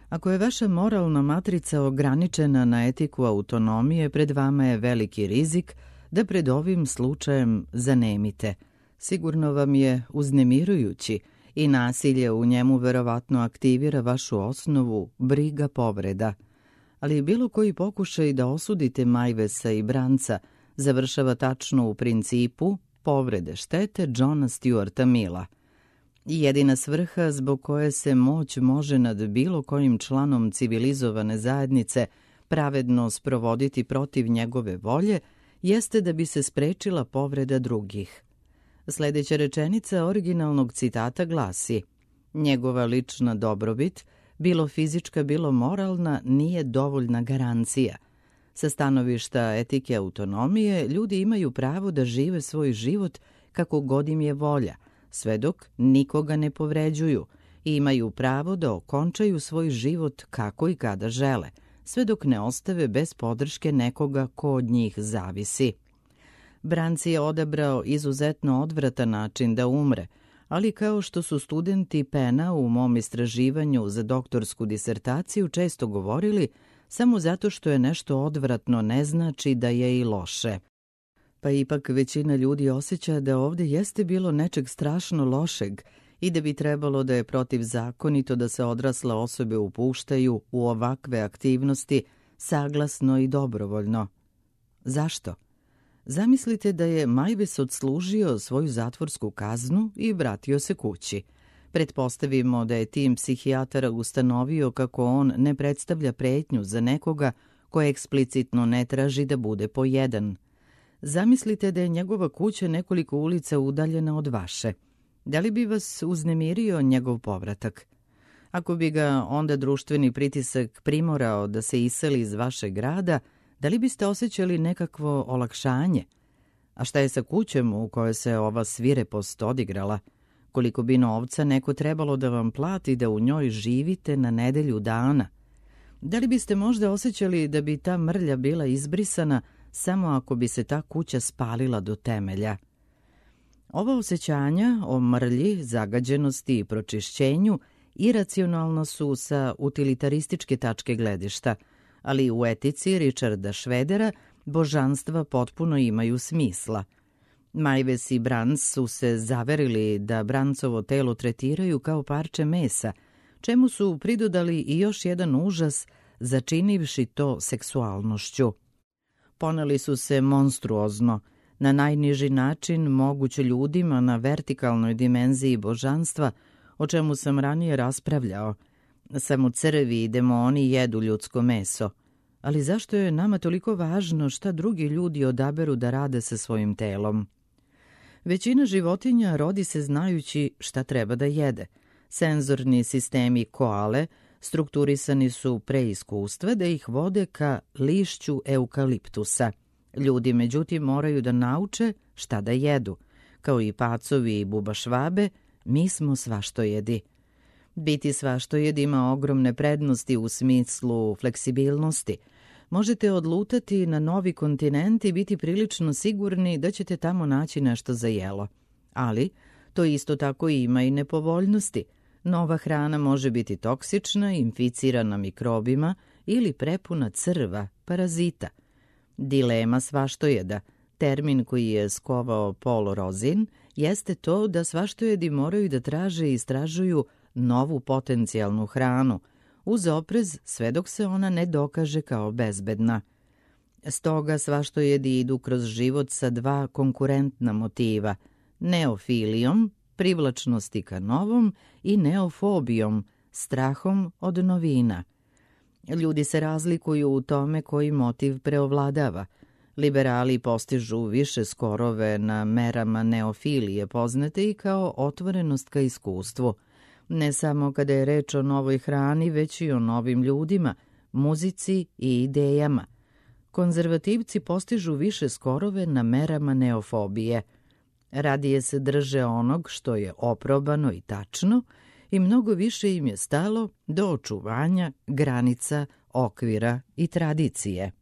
Ako je vaša moralna matrica ograničena na etiku autonomije, pred vama je veliki rizik da pred ovim slučajem zanemite. Sigurno vam je uznemirujući i nasilje u njemu verovatno aktivira vašu osnovu briga povreda. Ali bilo koji pokušaj da osudite Meiwesa i Brandsa završava tačno u principu povrede štete Johna Stuarta Milla. Jedina svrha zbog koje se moć može nad bilo kojim članom civilizovane zajednice pravedno sprovoditi protiv njegove volje jeste da bi se sprečila povreda drugih. Sljedeća rečenica originalnog citata glasi: njegova lična dobrobit, bilo fizička, bilo moralna, nije dovoljna garancija. Sa stanovišta etike autonomije, ljudi imaju pravo da žive svoj život kako god im je volja, sve dok nikoga ne povređuju, i imaju pravo da okončaju svoj život kako i kada žele, sve dok ne ostave bez podrške nekoga ko od njih zavisi. Brands je odabrao izuzetno odvratan način da umre, ali kao što su studenti Pena u mom istraživanju za doktorsku disertaciju često govorili, samo zato što je nešto odvratno ne znači da je i loše. Pa ipak većina ljudi osjeća da ovdje jeste bilo nečeg strašno lošeg i da bi trebalo da je protivzakonito da se odrasle osobe upuštaju u ovakve aktivnosti saglasno i dobrovoljno. Zašto? Zamislite da je Meiwes odslužio svoju zatvorsku kaznu i vratio se kući. Pretpostavimo da je tim psihijatara ustanovio kako on ne predstavlja pretnju za nekoga koje eksplicitno ne traži da bude pojedan. Zamislite da je njegova kuća nekoliko ulica udaljena od vaše. Da li bi vas uznemirio njegov povratak? Ako bi ga onda društveni pritisak primorao da se iseli iz vašeg grada, da li biste osjećali nekakvo olakšanje? A šta je sa kućom u kojoj se ova svirepost odigrala? Koliko bi novca neko trebalo da vam plati da u njoj živite na nedelju dana? Da li biste možda osjećali da bi ta mrlja bila izbrisana samo ako bi se ta kuća spalila do temelja? Ova osjećanja o mrlji, zagađenosti i pročišćenju iracionalno su sa utilitarističke tačke gledišta, ali u etici Richarda Schroedera božanstva potpuno imaju smisla. Majves i Brans su se zaverili da Brancovo telo tretiraju kao parče mesa, čemu su pridodali i još jedan užas, začinivši to seksualnošću. Poneli su se monstruozno, na najniži način moguć ljudima na vertikalnoj dimenziji božanstva, o čemu sam ranije raspravljao. Samo crvi i demoni jedu ljudsko meso. Ali zašto je nama toliko važno šta drugi ljudi odaberu da rade sa svojim telom? Većina životinja rodi se znajući šta treba da jede. Senzorni sistemi koale strukturisani su pre iskustva da ih vode ka lišću eukaliptusa. Ljudi, međutim, moraju da nauče šta da jedu. Kao i pacovi i bubašvabe, mi smo svaštojedi. Biti svaštojed ima ogromne prednosti u smislu fleksibilnosti. Možete odlutati na novi kontinent i biti prilično sigurni da ćete tamo naći nešto za jelo. Ali to isto tako ima i nepovoljnosti. Nova hrana može biti toksična, inficirana mikrobima ili prepuna crva, parazita. Dilema svaštojeda, termin koji je skovao Paul Rozin, jeste to da svaštojedi moraju da traže i istražuju novu potencijalnu hranu, uz oprez sve dok se ona ne dokaže kao bezbedna. Stoga svaštojedi idu kroz život sa dva konkurentna motiva, neofilijom, privlačnosti ka novom, i neofobijom, strahom od novina. Ljudi se razlikuju u tome koji motiv preovladava. Liberali postižu više skorove na merama neofilije, poznate i kao otvorenost ka iskustvu. Ne samo kada je reč o novoj hrani, već i o novim ljudima, muzici i idejama. Konzervativci postižu više skorove na merama neofobije. Radije se drže onog što je oprobano i tačno i mnogo više im je stalo do očuvanja granica, okvira i tradicije.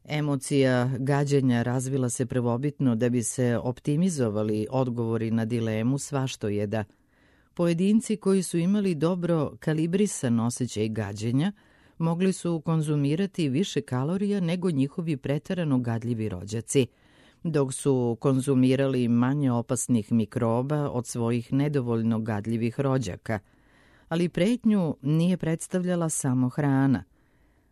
Emocija gađenja razvila se prvobitno da bi se optimizovali odgovori na dilemu svaštojeda. Pojedinci koji su imali dobro kalibrisan osjećaj gađenja mogli su konzumirati više kalorija nego njihovi preterano gadljivi rođaci, dok su konzumirali manje opasnih mikroba od svojih nedovoljno gadljivih rođaka. Ali pretnju nije predstavljala samo hrana.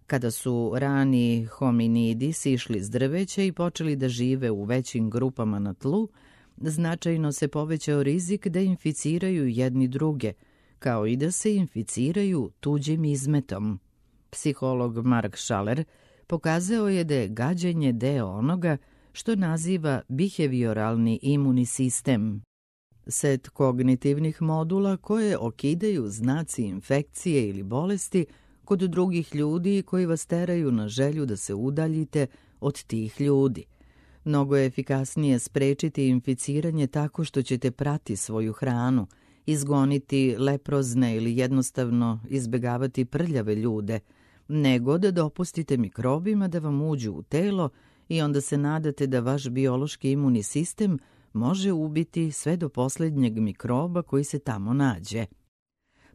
Kada su rani hominidi sišli s drveća i počeli da žive u većim grupama na tlu, značajno se povećao rizik da inficiraju jedni druge, kao i da se inficiraju tuđim izmetom. Psiholog Mark Schaller pokazao je da je gađenje deo onoga što naziva behavioralni imuni sistem. Set kognitivnih modula koje okidaju znaci infekcije ili bolesti kod drugih ljudi koji vas teraju na želju da se udaljite od tih ljudi. Mnogo je efikasnije sprečiti inficiranje tako što ćete prati svoju hranu, izgoniti leprozne ili jednostavno izbegavati prljave ljude, nego da dopustite mikrobima da vam uđu u telo i onda se nadate da vaš biološki imuni sistem može ubiti sve do posljednjeg mikroba koji se tamo nađe.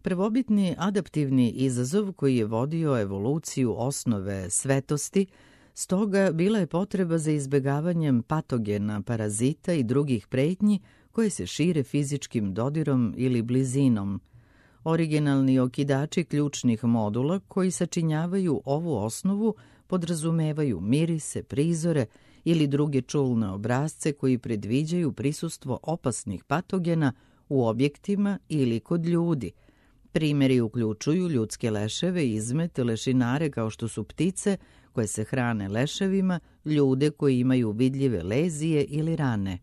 Prvobitni adaptivni izazov koji je vodio evoluciju osnove svetosti, stoga bila je potreba za izbegavanjem patogena, parazita i drugih pretnji koje se šire fizičkim dodirom ili blizinom. Originalni okidači ključnih modula koji sačinjavaju ovu osnovu podrazumevaju mirise, prizore ili druge čulne obrasce koji predviđaju prisustvo opasnih patogena u objektima ili kod ljudi. Primjeri uključuju ljudske leševe, izmet, lešinare kao što su ptice koje se hrane leševima, ljude koji imaju vidljive lezije ili rane.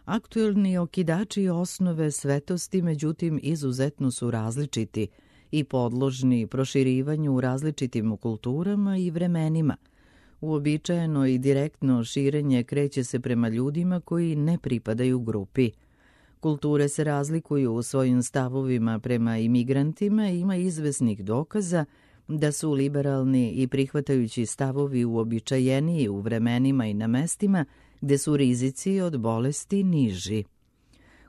Aktuelni okidači osnove svetosti, međutim, izuzetno su različiti i podložni proširivanju u različitim kulturama i vremenima. Uobičajeno i direktno širenje kreće se prema ljudima koji ne pripadaju grupi. Kulture se razlikuju u svojim stavovima prema imigrantima i ima izvesnih dokaza da su liberalni i prihvatajući stavovi uobičajeniji u vremenima i na mestima gde su rizici od bolesti niži.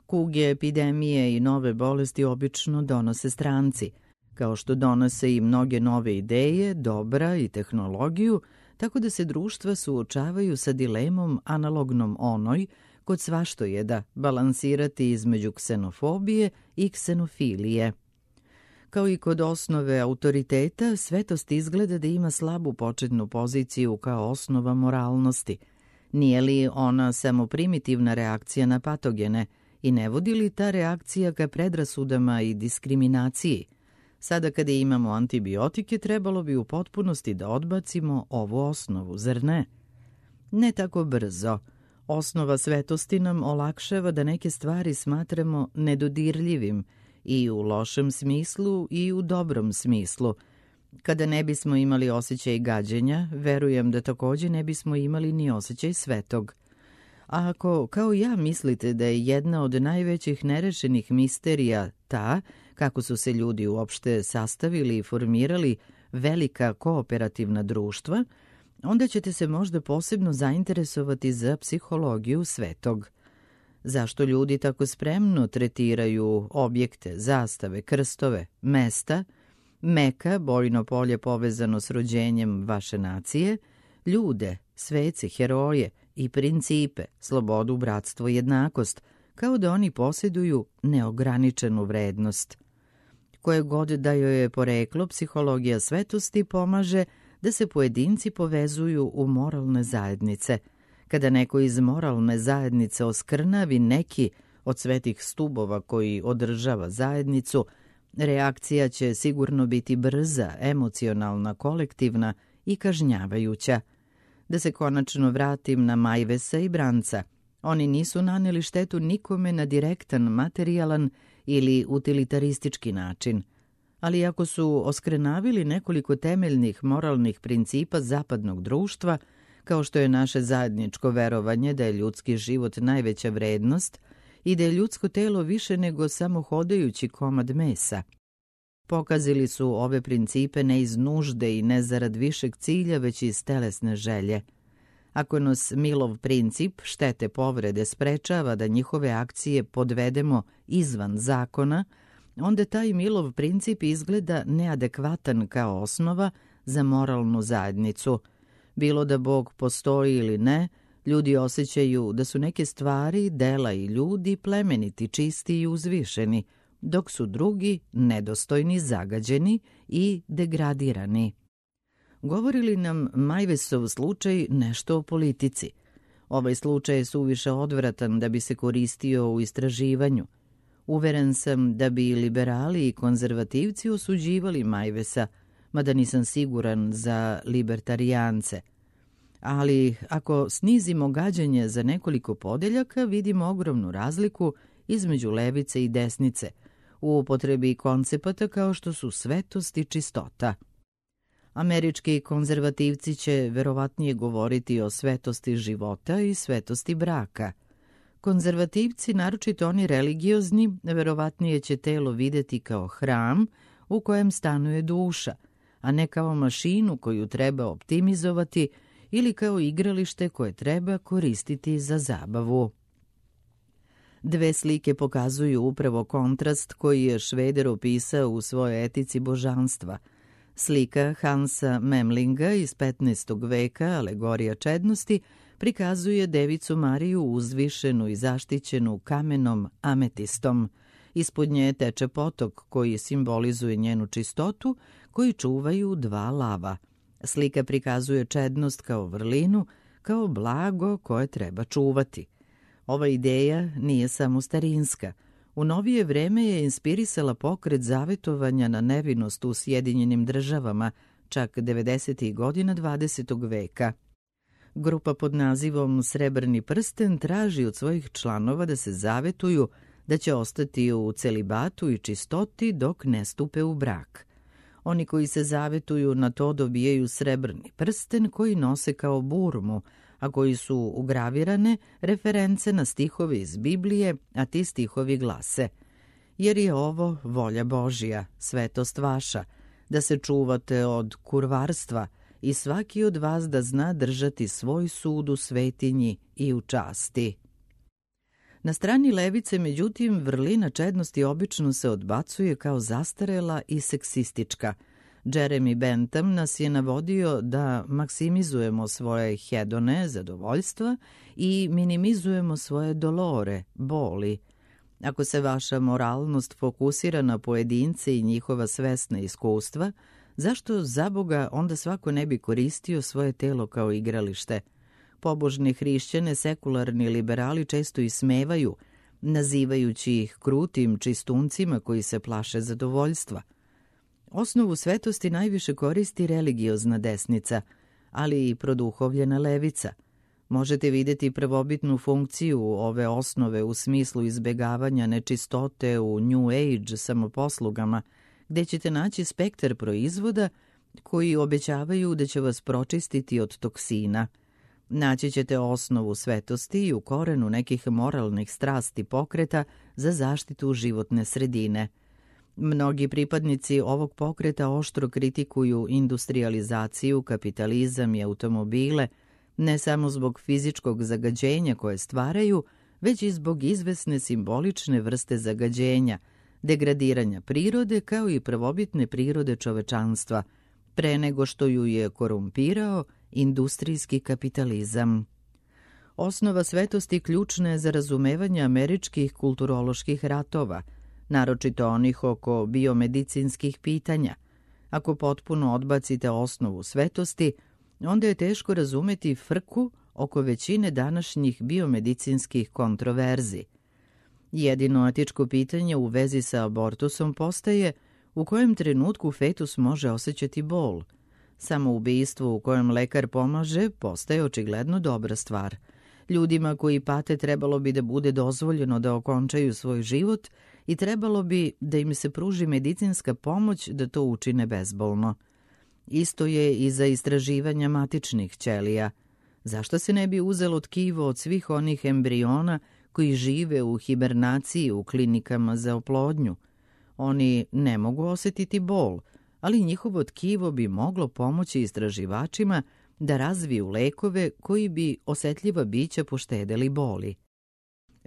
Kuge, epidemije i nove bolesti obično donose stranci, kao što donose i mnoge nove ideje, dobra i tehnologiju, tako da se društva suočavaju sa dilemom analognom onoj kod svaštojeda balansirati između ksenofobije i ksenofilije. Kao i kod osnove autoriteta, svetost izgleda da ima slabu početnu poziciju kao osnova moralnosti. Nije li ona samo primitivna reakcija na patogene i ne vodi li ta reakcija ka predrasudama i diskriminaciji? Sada kada imamo antibiotike, trebalo bi u potpunosti da odbacimo ovu osnovu, zar ne? Ne tako brzo. Osnova svetosti nam olakšava da neke stvari smatramo nedodirljivim i u lošem smislu i u dobrom smislu. Kada ne bismo imali osjećaj gađenja, verujem da takođe ne bismo imali ni osjećaj svetog. A ako, kao ja, mislite da je jedna od najvećih nerešenih misterija ta kako su se ljudi uopšte sastavili i formirali velika kooperativna društva, onda ćete se možda posebno zainteresovati za psihologiju svetog. Zašto ljudi tako spremno tretiraju objekte, zastave, krstove, mesta, Meka, bojno polje povezano s rođenjem vaše nacije, ljude, svece, heroje i principe, slobodu, bratstvo i jednakost, kao da oni posjeduju neograničenu vrednost. Koje god da joj je poreklo, psihologija svetosti pomaže da se pojedinci povezuju u moralne zajednice. Kada neko iz moralne zajednice oskrnavi neki od svetih stubova koji održava zajednicu, reakcija će sigurno biti brza, emocionalna, kolektivna i kažnjavajuća. Da se konačno vratim na Majvesa i Branca. Oni nisu naneli štetu nikome na direktan, materijalan ili utilitaristički način. Ali ako su oskrenavili nekoliko temeljnih moralnih principa zapadnog društva, kao što je naše zajedničko verovanje da je ljudski život najveća vrednost i da je ljudsko telo više nego samo hodajući komad mesa, pokazali su ove principe ne iz nužde i ne zarad višeg cilja, već iz telesne želje. Ako nas Milov princip štete povrede sprečava da njihove akcije podvedemo izvan zakona, onda taj Milov princip izgleda neadekvatan kao osnova za moralnu zajednicu. Bilo da Bog postoji ili ne, ljudi osjećaju da su neke stvari, dela i ljudi plemeniti, čisti i uzvišeni, dok su drugi nedostojni, zagađeni i degradirani. Govori li nam Majvesov slučaj nešto o politici? Ovaj slučaj je suviše odvratan da bi se koristio u istraživanju. Uveren sam da bi liberali i konzervativci osuđivali Majvesa, mada nisam siguran za libertarijance. Ali ako snizimo gađanje za nekoliko podeljaka, vidimo ogromnu razliku između levice i desnice u upotrebi koncepata kao što su svetost i čistota. Američki konzervativci će verovatnije govoriti o svetosti života i svetosti braka. Konzervativci, naročito oni religiozni, verovatnije će telo videti kao hram u kojem stanuje duša, a ne kao mašinu koju treba optimizovati ili kao igralište koje treba koristiti za zabavu. Dve slike pokazuju upravo kontrast koji je Šveder opisao u svojoj etici božanstva. Slika Hansa Memlinga iz petnaestog veka, alegorija čednosti, prikazuje Devicu Mariju uzvišenu i zaštićenu kamenom ametistom. Ispod nje teče potok koji simbolizuje njenu čistotu, koji čuvaju dva lava. Slika prikazuje čednost kao vrlinu, kao blago koje treba čuvati. Ova ideja nije samo starinska. U novije vreme je inspirisala pokret zavetovanja na nevinost u Sjedinjenim državama, čak devedesetih godina dvadesetog veka. Grupa pod nazivom Srebrni prsten traži od svojih članova da se zavetuju da će ostati u celibatu i čistoti dok ne stupe u brak. Oni koji se zavetuju na to dobijaju srebrni prsten koji nose kao burmu, a koji su ugravirane reference na stihove iz Biblije, a ti stihovi glase: jer je ovo volja Božja, svetost vaša, da se čuvate od kurvarstva i svaki od vas da zna držati svoj sud u svetinji i u časti. Na strani levice, međutim, vrlina čednosti obično se odbacuje kao zastarela i seksistička. Jeremy Bentham nas je navodio da maksimizujemo svoje hedone, zadovoljstva, i minimizujemo svoje dolore, boli. Ako se vaša moralnost fokusira na pojedince i njihova svesna iskustva, zašto za Boga onda svako ne bi koristio svoje telo kao igralište? Pobožne hrišćane sekularni liberali često ismevaju, nazivajući ih krutim čistuncima koji se plaše zadovoljstva. Osnovu svetosti najviše koristi religiozna desnica, ali i produhovljena levica. Možete vidjeti prvobitnu funkciju ove osnove u smislu izbegavanja nečistote u New Age samoposlugama, gde ćete naći spektar proizvoda koji obećavaju da će vas pročistiti od toksina. Naći ćete osnovu svetosti i u korenu nekih moralnih strasti pokreta za zaštitu životne sredine. Mnogi pripadnici ovog pokreta oštro kritikuju industrializaciju, kapitalizam i automobile, ne samo zbog fizičkog zagađenja koje stvaraju, već i zbog izvesne simbolične vrste zagađenja, degradiranja prirode kao i prvobitne prirode čovečanstva, pre nego što ju je korumpirao industrijski kapitalizam. Osnova svetosti ključna je za razumevanje američkih kulturoloških ratova, naročito onih oko biomedicinskih pitanja. Ako potpuno odbacite osnovu svetosti, onda je teško razumeti frku oko većine današnjih biomedicinskih kontroverzi. Jedino etičko pitanje u vezi sa abortusom postaje u kojem trenutku fetus može osjećati bol. Samoubistvo u kojem lekar pomaže postaje očigledno dobra stvar. Ljudima koji pate trebalo bi da bude dozvoljeno da okončaju svoj život i trebalo bi da im se pruži medicinska pomoć da to učine bezbolno. Isto je i za istraživanja matičnih ćelija. Zašto se ne bi uzelo tkivo od svih onih embriona koji žive u hibernaciji u klinikama za oplodnju? Oni ne mogu osjetiti bol, ali njihovo tkivo bi moglo pomoći istraživačima da razviju lekove koji bi osetljiva bića poštedeli boli.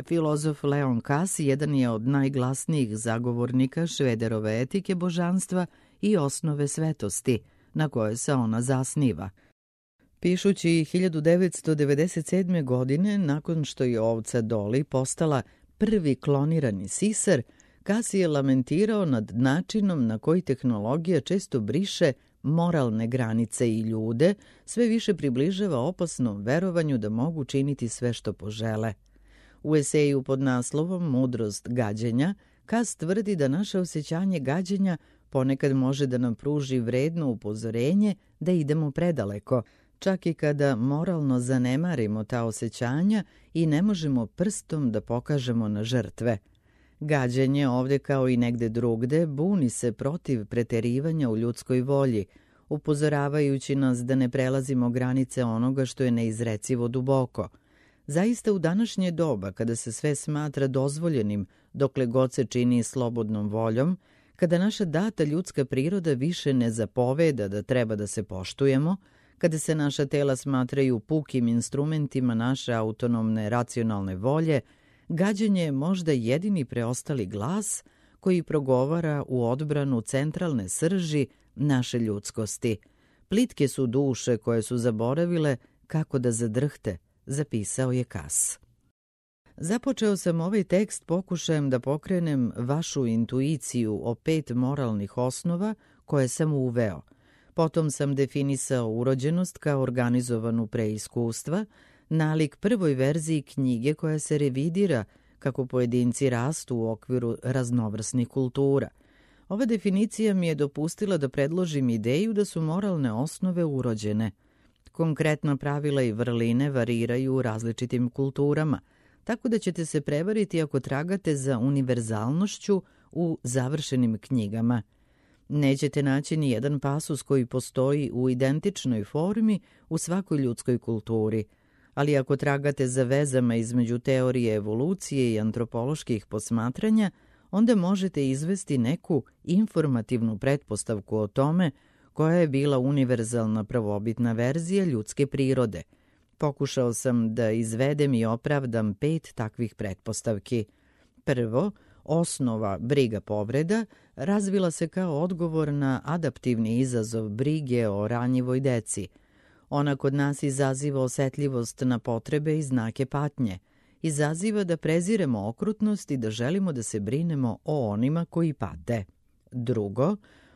Filozof Leon Kass jedan je od najglasnijih zagovornika Švederove etike božanstva i osnove svetosti, na koje se ona zasniva. Pišući hiljadu devetsto devedeset sedme. godine, nakon što je ovca Dolly postala prvi klonirani sisar, Kass je lamentirao nad načinom na koji tehnologija često briše moralne granice i ljude sve više približava opasnom verovanju da mogu činiti sve što požele. U eseju pod naslovom Mudrost gađenja, Kass tvrdi da naše osjećanje gađenja ponekad može da nam pruži vredno upozorenje da idemo predaleko, čak i kada moralno zanemarimo ta osjećanja i ne možemo prstom da pokažemo na žrtve. Gađenje ovdje kao i negde drugde buni se protiv preterivanja u ljudskoj volji, upozoravajući nas da ne prelazimo granice onoga što je neizrecivo duboko. Zaista u današnje doba, kada se sve smatra dozvoljenim, dokle god se čini slobodnom voljom, kada naša data ljudska priroda više ne zapoveda da treba da se poštujemo, kada se naša tela smatraju pukim instrumentima naše autonomne racionalne volje, gađenje je možda jedini preostali glas koji progovara u odbranu centralne srži naše ljudskosti. Plitke su duše koje su zaboravile kako da zadrhte, zapisao je Kass. Započeo sam ovaj tekst pokušajem da pokrenem vašu intuiciju o pet moralnih osnova koje sam uveo. Potom sam definisao urođenost kao organizovanu preiskustva, nalik prvoj verziji knjige koja se revidira kako pojedinci rastu u okviru raznovrsnih kultura. Ova definicija mi je dopustila da predložim ideju da su moralne osnove urođene. Konkretna pravila i vrline variraju u različitim kulturama, tako da ćete se prevariti ako tragate za univerzalnošću u završenim knjigama. Nećete naći ni jedan pasus koji postoji u identičnoj formi u svakoj ljudskoj kulturi, ali ako tragate za vezama između teorije evolucije i antropoloških posmatranja, onda možete izvesti neku informativnu pretpostavku o tome koja je bila univerzalna prvobitna verzija ljudske prirode. Pokušao sam da izvedem i opravdam pet takvih pretpostavki. Prvo, osnova briga povreda razvila se kao odgovor na adaptivni izazov brige o ranjivoj deci. Ona kod nas izaziva osetljivost na potrebe i znake patnje. Izaziva da preziremo okrutnost i da želimo da se brinemo o onima koji pate. Drugo,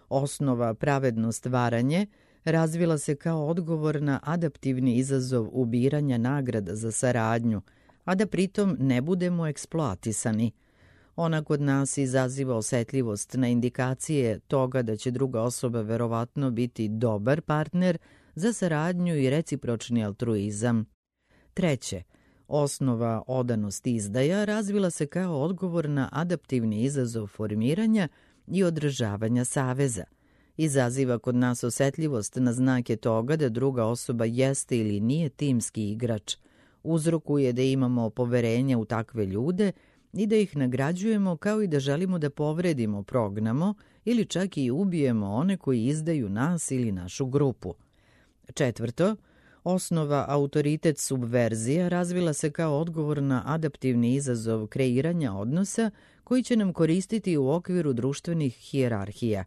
osnova pravedno stvaranje razvila se kao odgovor na adaptivni izazov ubiranja nagrada za saradnju, a da pritom ne budemo eksploatisani. Ona kod nas izaziva osetljivost na indikacije toga da će druga osoba verovatno biti dobar partner za saradnju i recipročni altruizam. Treće, osnova odanost izdaja razvila se kao odgovor na adaptivni izazov formiranja i održavanja saveza. Izaziva kod nas osetljivost na znake toga da druga osoba jeste ili nije timski igrač. Uzrokuje da imamo poverenje u takve ljude i da ih nagrađujemo, kao i da želimo da povredimo, prognamo ili čak i ubijemo one koji izdaju nas ili našu grupu. Četvrto, osnova autoritet subverzija razvila se kao odgovor na adaptivni izazov kreiranja odnosa koji će nam koristiti u okviru društvenih hijerarhija.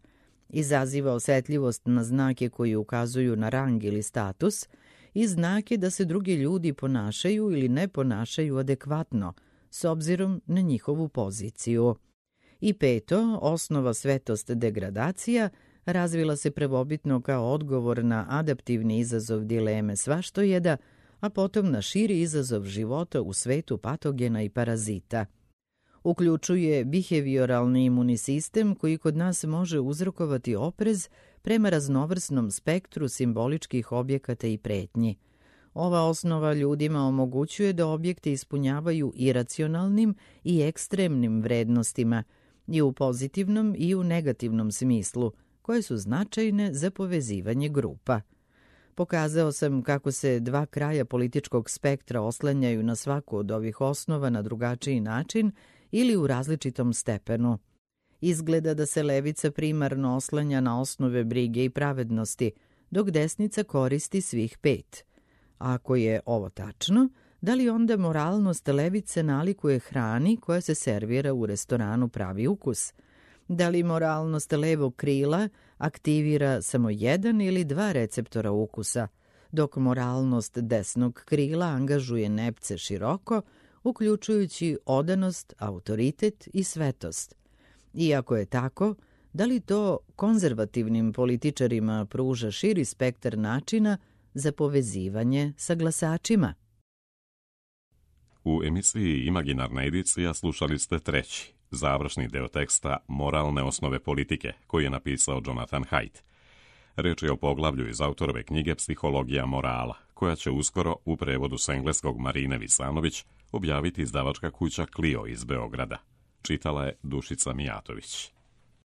Izaziva osetljivost na znake koji ukazuju na rang ili status i znake da se drugi ljudi ponašaju ili ne ponašaju adekvatno, s obzirom na njihovu poziciju. I peto, osnova svetost degradacija razvila se prvobitno kao odgovor na adaptivni izazov dileme svaštojeda, a potom na širi izazov života u svetu patogena i parazita. Uključuje behavioralni imunni sistem koji kod nas može uzrokovati oprez prema raznovrsnom spektru simboličkih objekata i pretnji. Ova osnova ljudima omogućuje da objekte ispunjavaju iracionalnim i ekstremnim vrednostima, i u pozitivnom i u negativnom smislu, koje su značajne za povezivanje grupa. Pokazao sam kako se dva kraja političkog spektra oslanjaju na svaku od ovih osnova na drugačiji način ili u različitom stepenu. Izgleda da se levica primarno oslanja na osnove brige i pravednosti, dok desnica koristi svih pet. Ako je ovo tačno, da li onda moralnost levice nalikuje hrani koja se servira u restoranu pravi ukus? Da li moralnost levog krila aktivira samo jedan ili dva receptora ukusa, dok moralnost desnog krila angažuje nepce široko, uključujući odanost, autoritet i svetost? Iako je tako, da li to konzervativnim političarima pruža širi spektar načina za povezivanje sa glasačima? U emisiji Imaginarna edicija slušali ste treći, završni deo teksta Moralne osnove politike, koji je napisao Jonathan Haidt. Reč je o poglavlju iz autorove knjige Psihologija morala, koja će uskoro u prevodu s engleskog Marine Visanović objaviti izdavačka kuća Clio iz Beograda. Čitala je Dušica Mijatović.